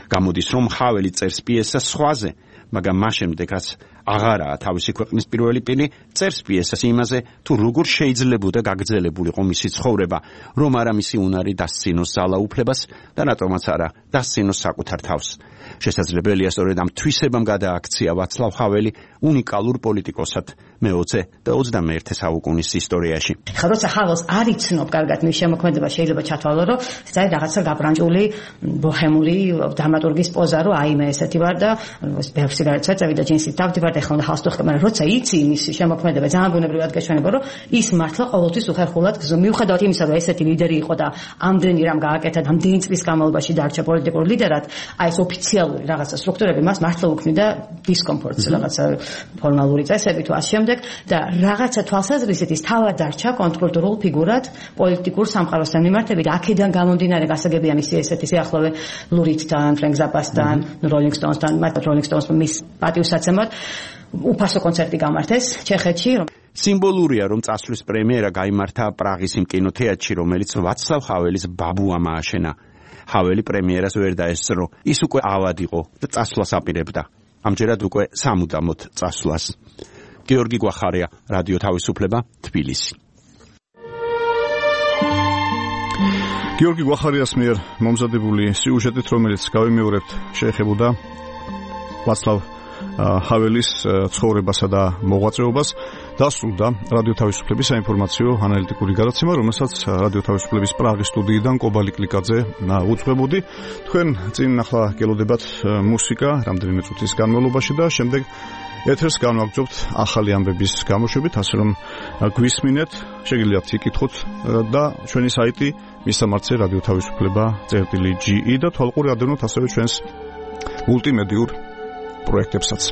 გამოდის, რომ ჰაველი წერს პიესას სხვაზე, მაგრამ მას შემდეგ, რაც აღარაა თავისი ქვეყნის პირველი პირი, წერს პიესას იმაზე, თუ როგორ შეიძლებოდა გაგრძელებულიყო მისი ცხოვრება, რომ არა მისი უნარი დასცინოს ძალაუფლებას და რატომაც არა დასცინოს საკუთარ თავს. შესაძლებელია სწორედ ამ თვისებამ გადააქცია ვაცლავ ჰაველი უნიკალურ პოლიტიკოსად მეოცე და ოცდამეერთე საუკუნის ისტორიაში. ხა როცა ჰაველს არ იცნობ კარგად მის შემოქმედება, შეიძლება ჩათვალო, რომ საერთოდ რაღაცა გაბრანჭული ბოჰემური დრამატურგის პოზა, რომ აიმე ესეთი ვარ და ბევრ სიგარეტს ვეწევი და ჯინსით დავდივარ და ეხლა უნდა ხალხს ვეხმარ, მაგრამ როცა იცი იმის შემოქმედება ძალიან ბუნებრივად გაჩვენება, რომ ის მართლა ყოველთვის უხერხულად გზო. მიუხედავად იმისა, რომ ესეთი ლიდერი იყო და ამდენი რამ გააკეთა, ამდენი წლის განმავლობაში დარჩა პოლიტიკურ ლიდერად, აი ეს ოფიციალური რაღაცა სტრუქტურები მას მართლა უქმნიდა დისკომფორტს, რაღაცა ფორმალური წესები თუ ასე შემდეგ და რაღაცა თვალსაზრისით ის თავად დარჩა კონტრკულტურულ ფიგურად პოლიტიკურ სამყაროსთან მიმართებით. აქედან გამომდინარე გასაგებია მისი ესეთი სიახლოვე ლურითთან, ფრენკ ზაპასთან, როლინგ სტოუნსთან, მათ როლინგ სტოუნსმა მის პატივსაცემად უფასო კონცერტი გამართეს ჩეხეთში. სიმბოლურია, რომ წასვლის პრემიერა გაიმართა პრაღის იმ კინოთეატრში, რომელიც ვაცლავ ჰაველის ბაბუამ ააშენა. ჰაველი პრემიერას ვერ დაესწრო, ის უკვე ავად იყო და წასვლას აპირებდა. ამჯერად უკვე სამუდამოდ წასვლას. გიორგი გვახარია, რადიო თავისუფლება, თბილისი. გიორგი გვახარიას მიერ მომზადებული სიუჟეტით, რომელიც გავიმეორებთ, შეეხებოდა ვაცლავ ჰაველის ცხოვრებასა და მოღვაწეობას, დასრულდა რადიო თავისუფლების საინფორმაციო ანალიტიკური გადაცემა, რომელსაც რადიო თავისუფლების პრაღის სტუდიიდან კობალი კლიკაძე უძღვებოდი. თქვენ წინ ახლა გელოდებათ მუსიკა რამდენიმე წუთის განმავლობაში და შემდეგ ეთერს განვაგრძობთ ახალი ამბების გამოშვებით, ასე რომ გვისმინეთ, შეგიძლიათ იკითხოთ და ჩვენი საიტი მისამართზე რადიო თავისუფლება წერტილი ჯი ი და თვალყური ადევნოთ ასევე ჩვენს მულტიმედიურ პროექტებსაც.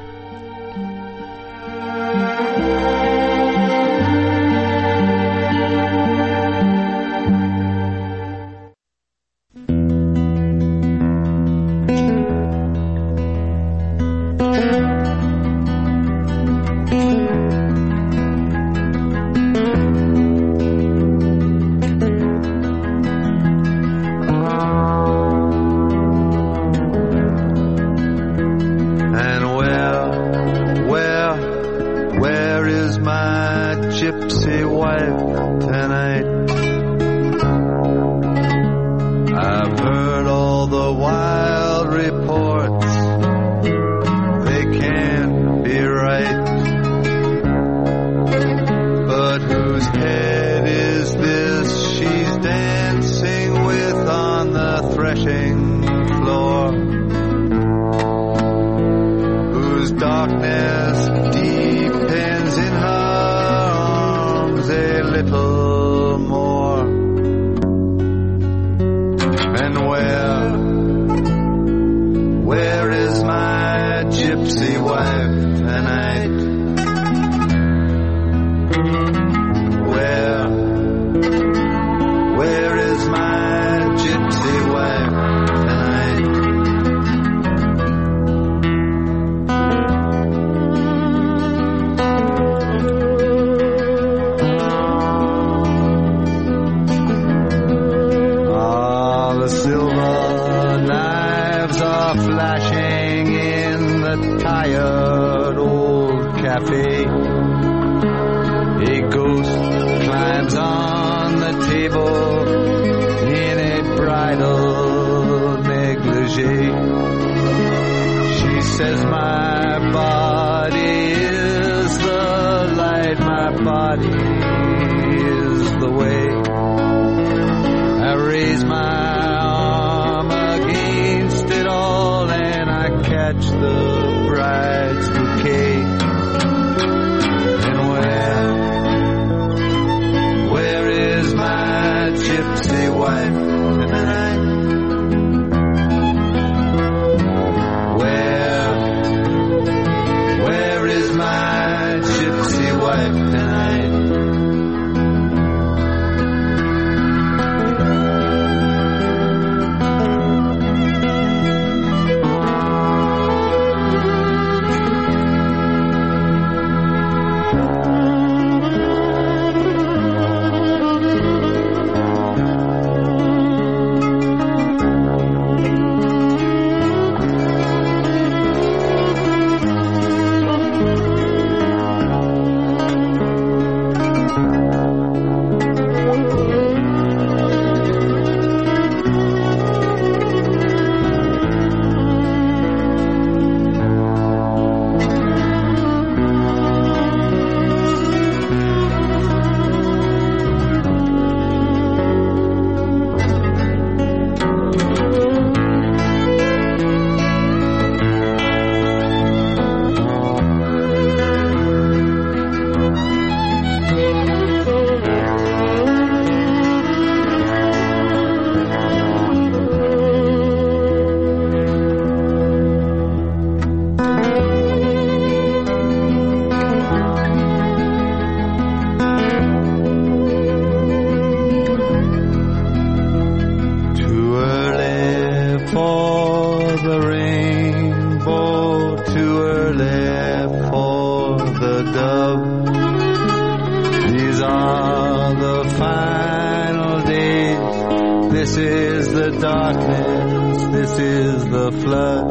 the darkness, this is the flood,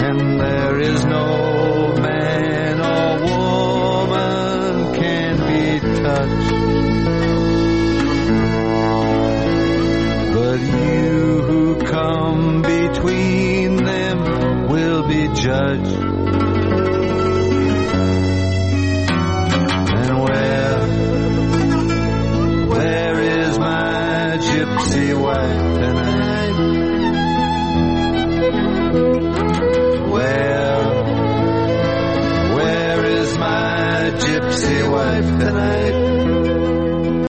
and there is no man or woman can be touched. But you who come between them will be judged. And where, where is my gypsy wife?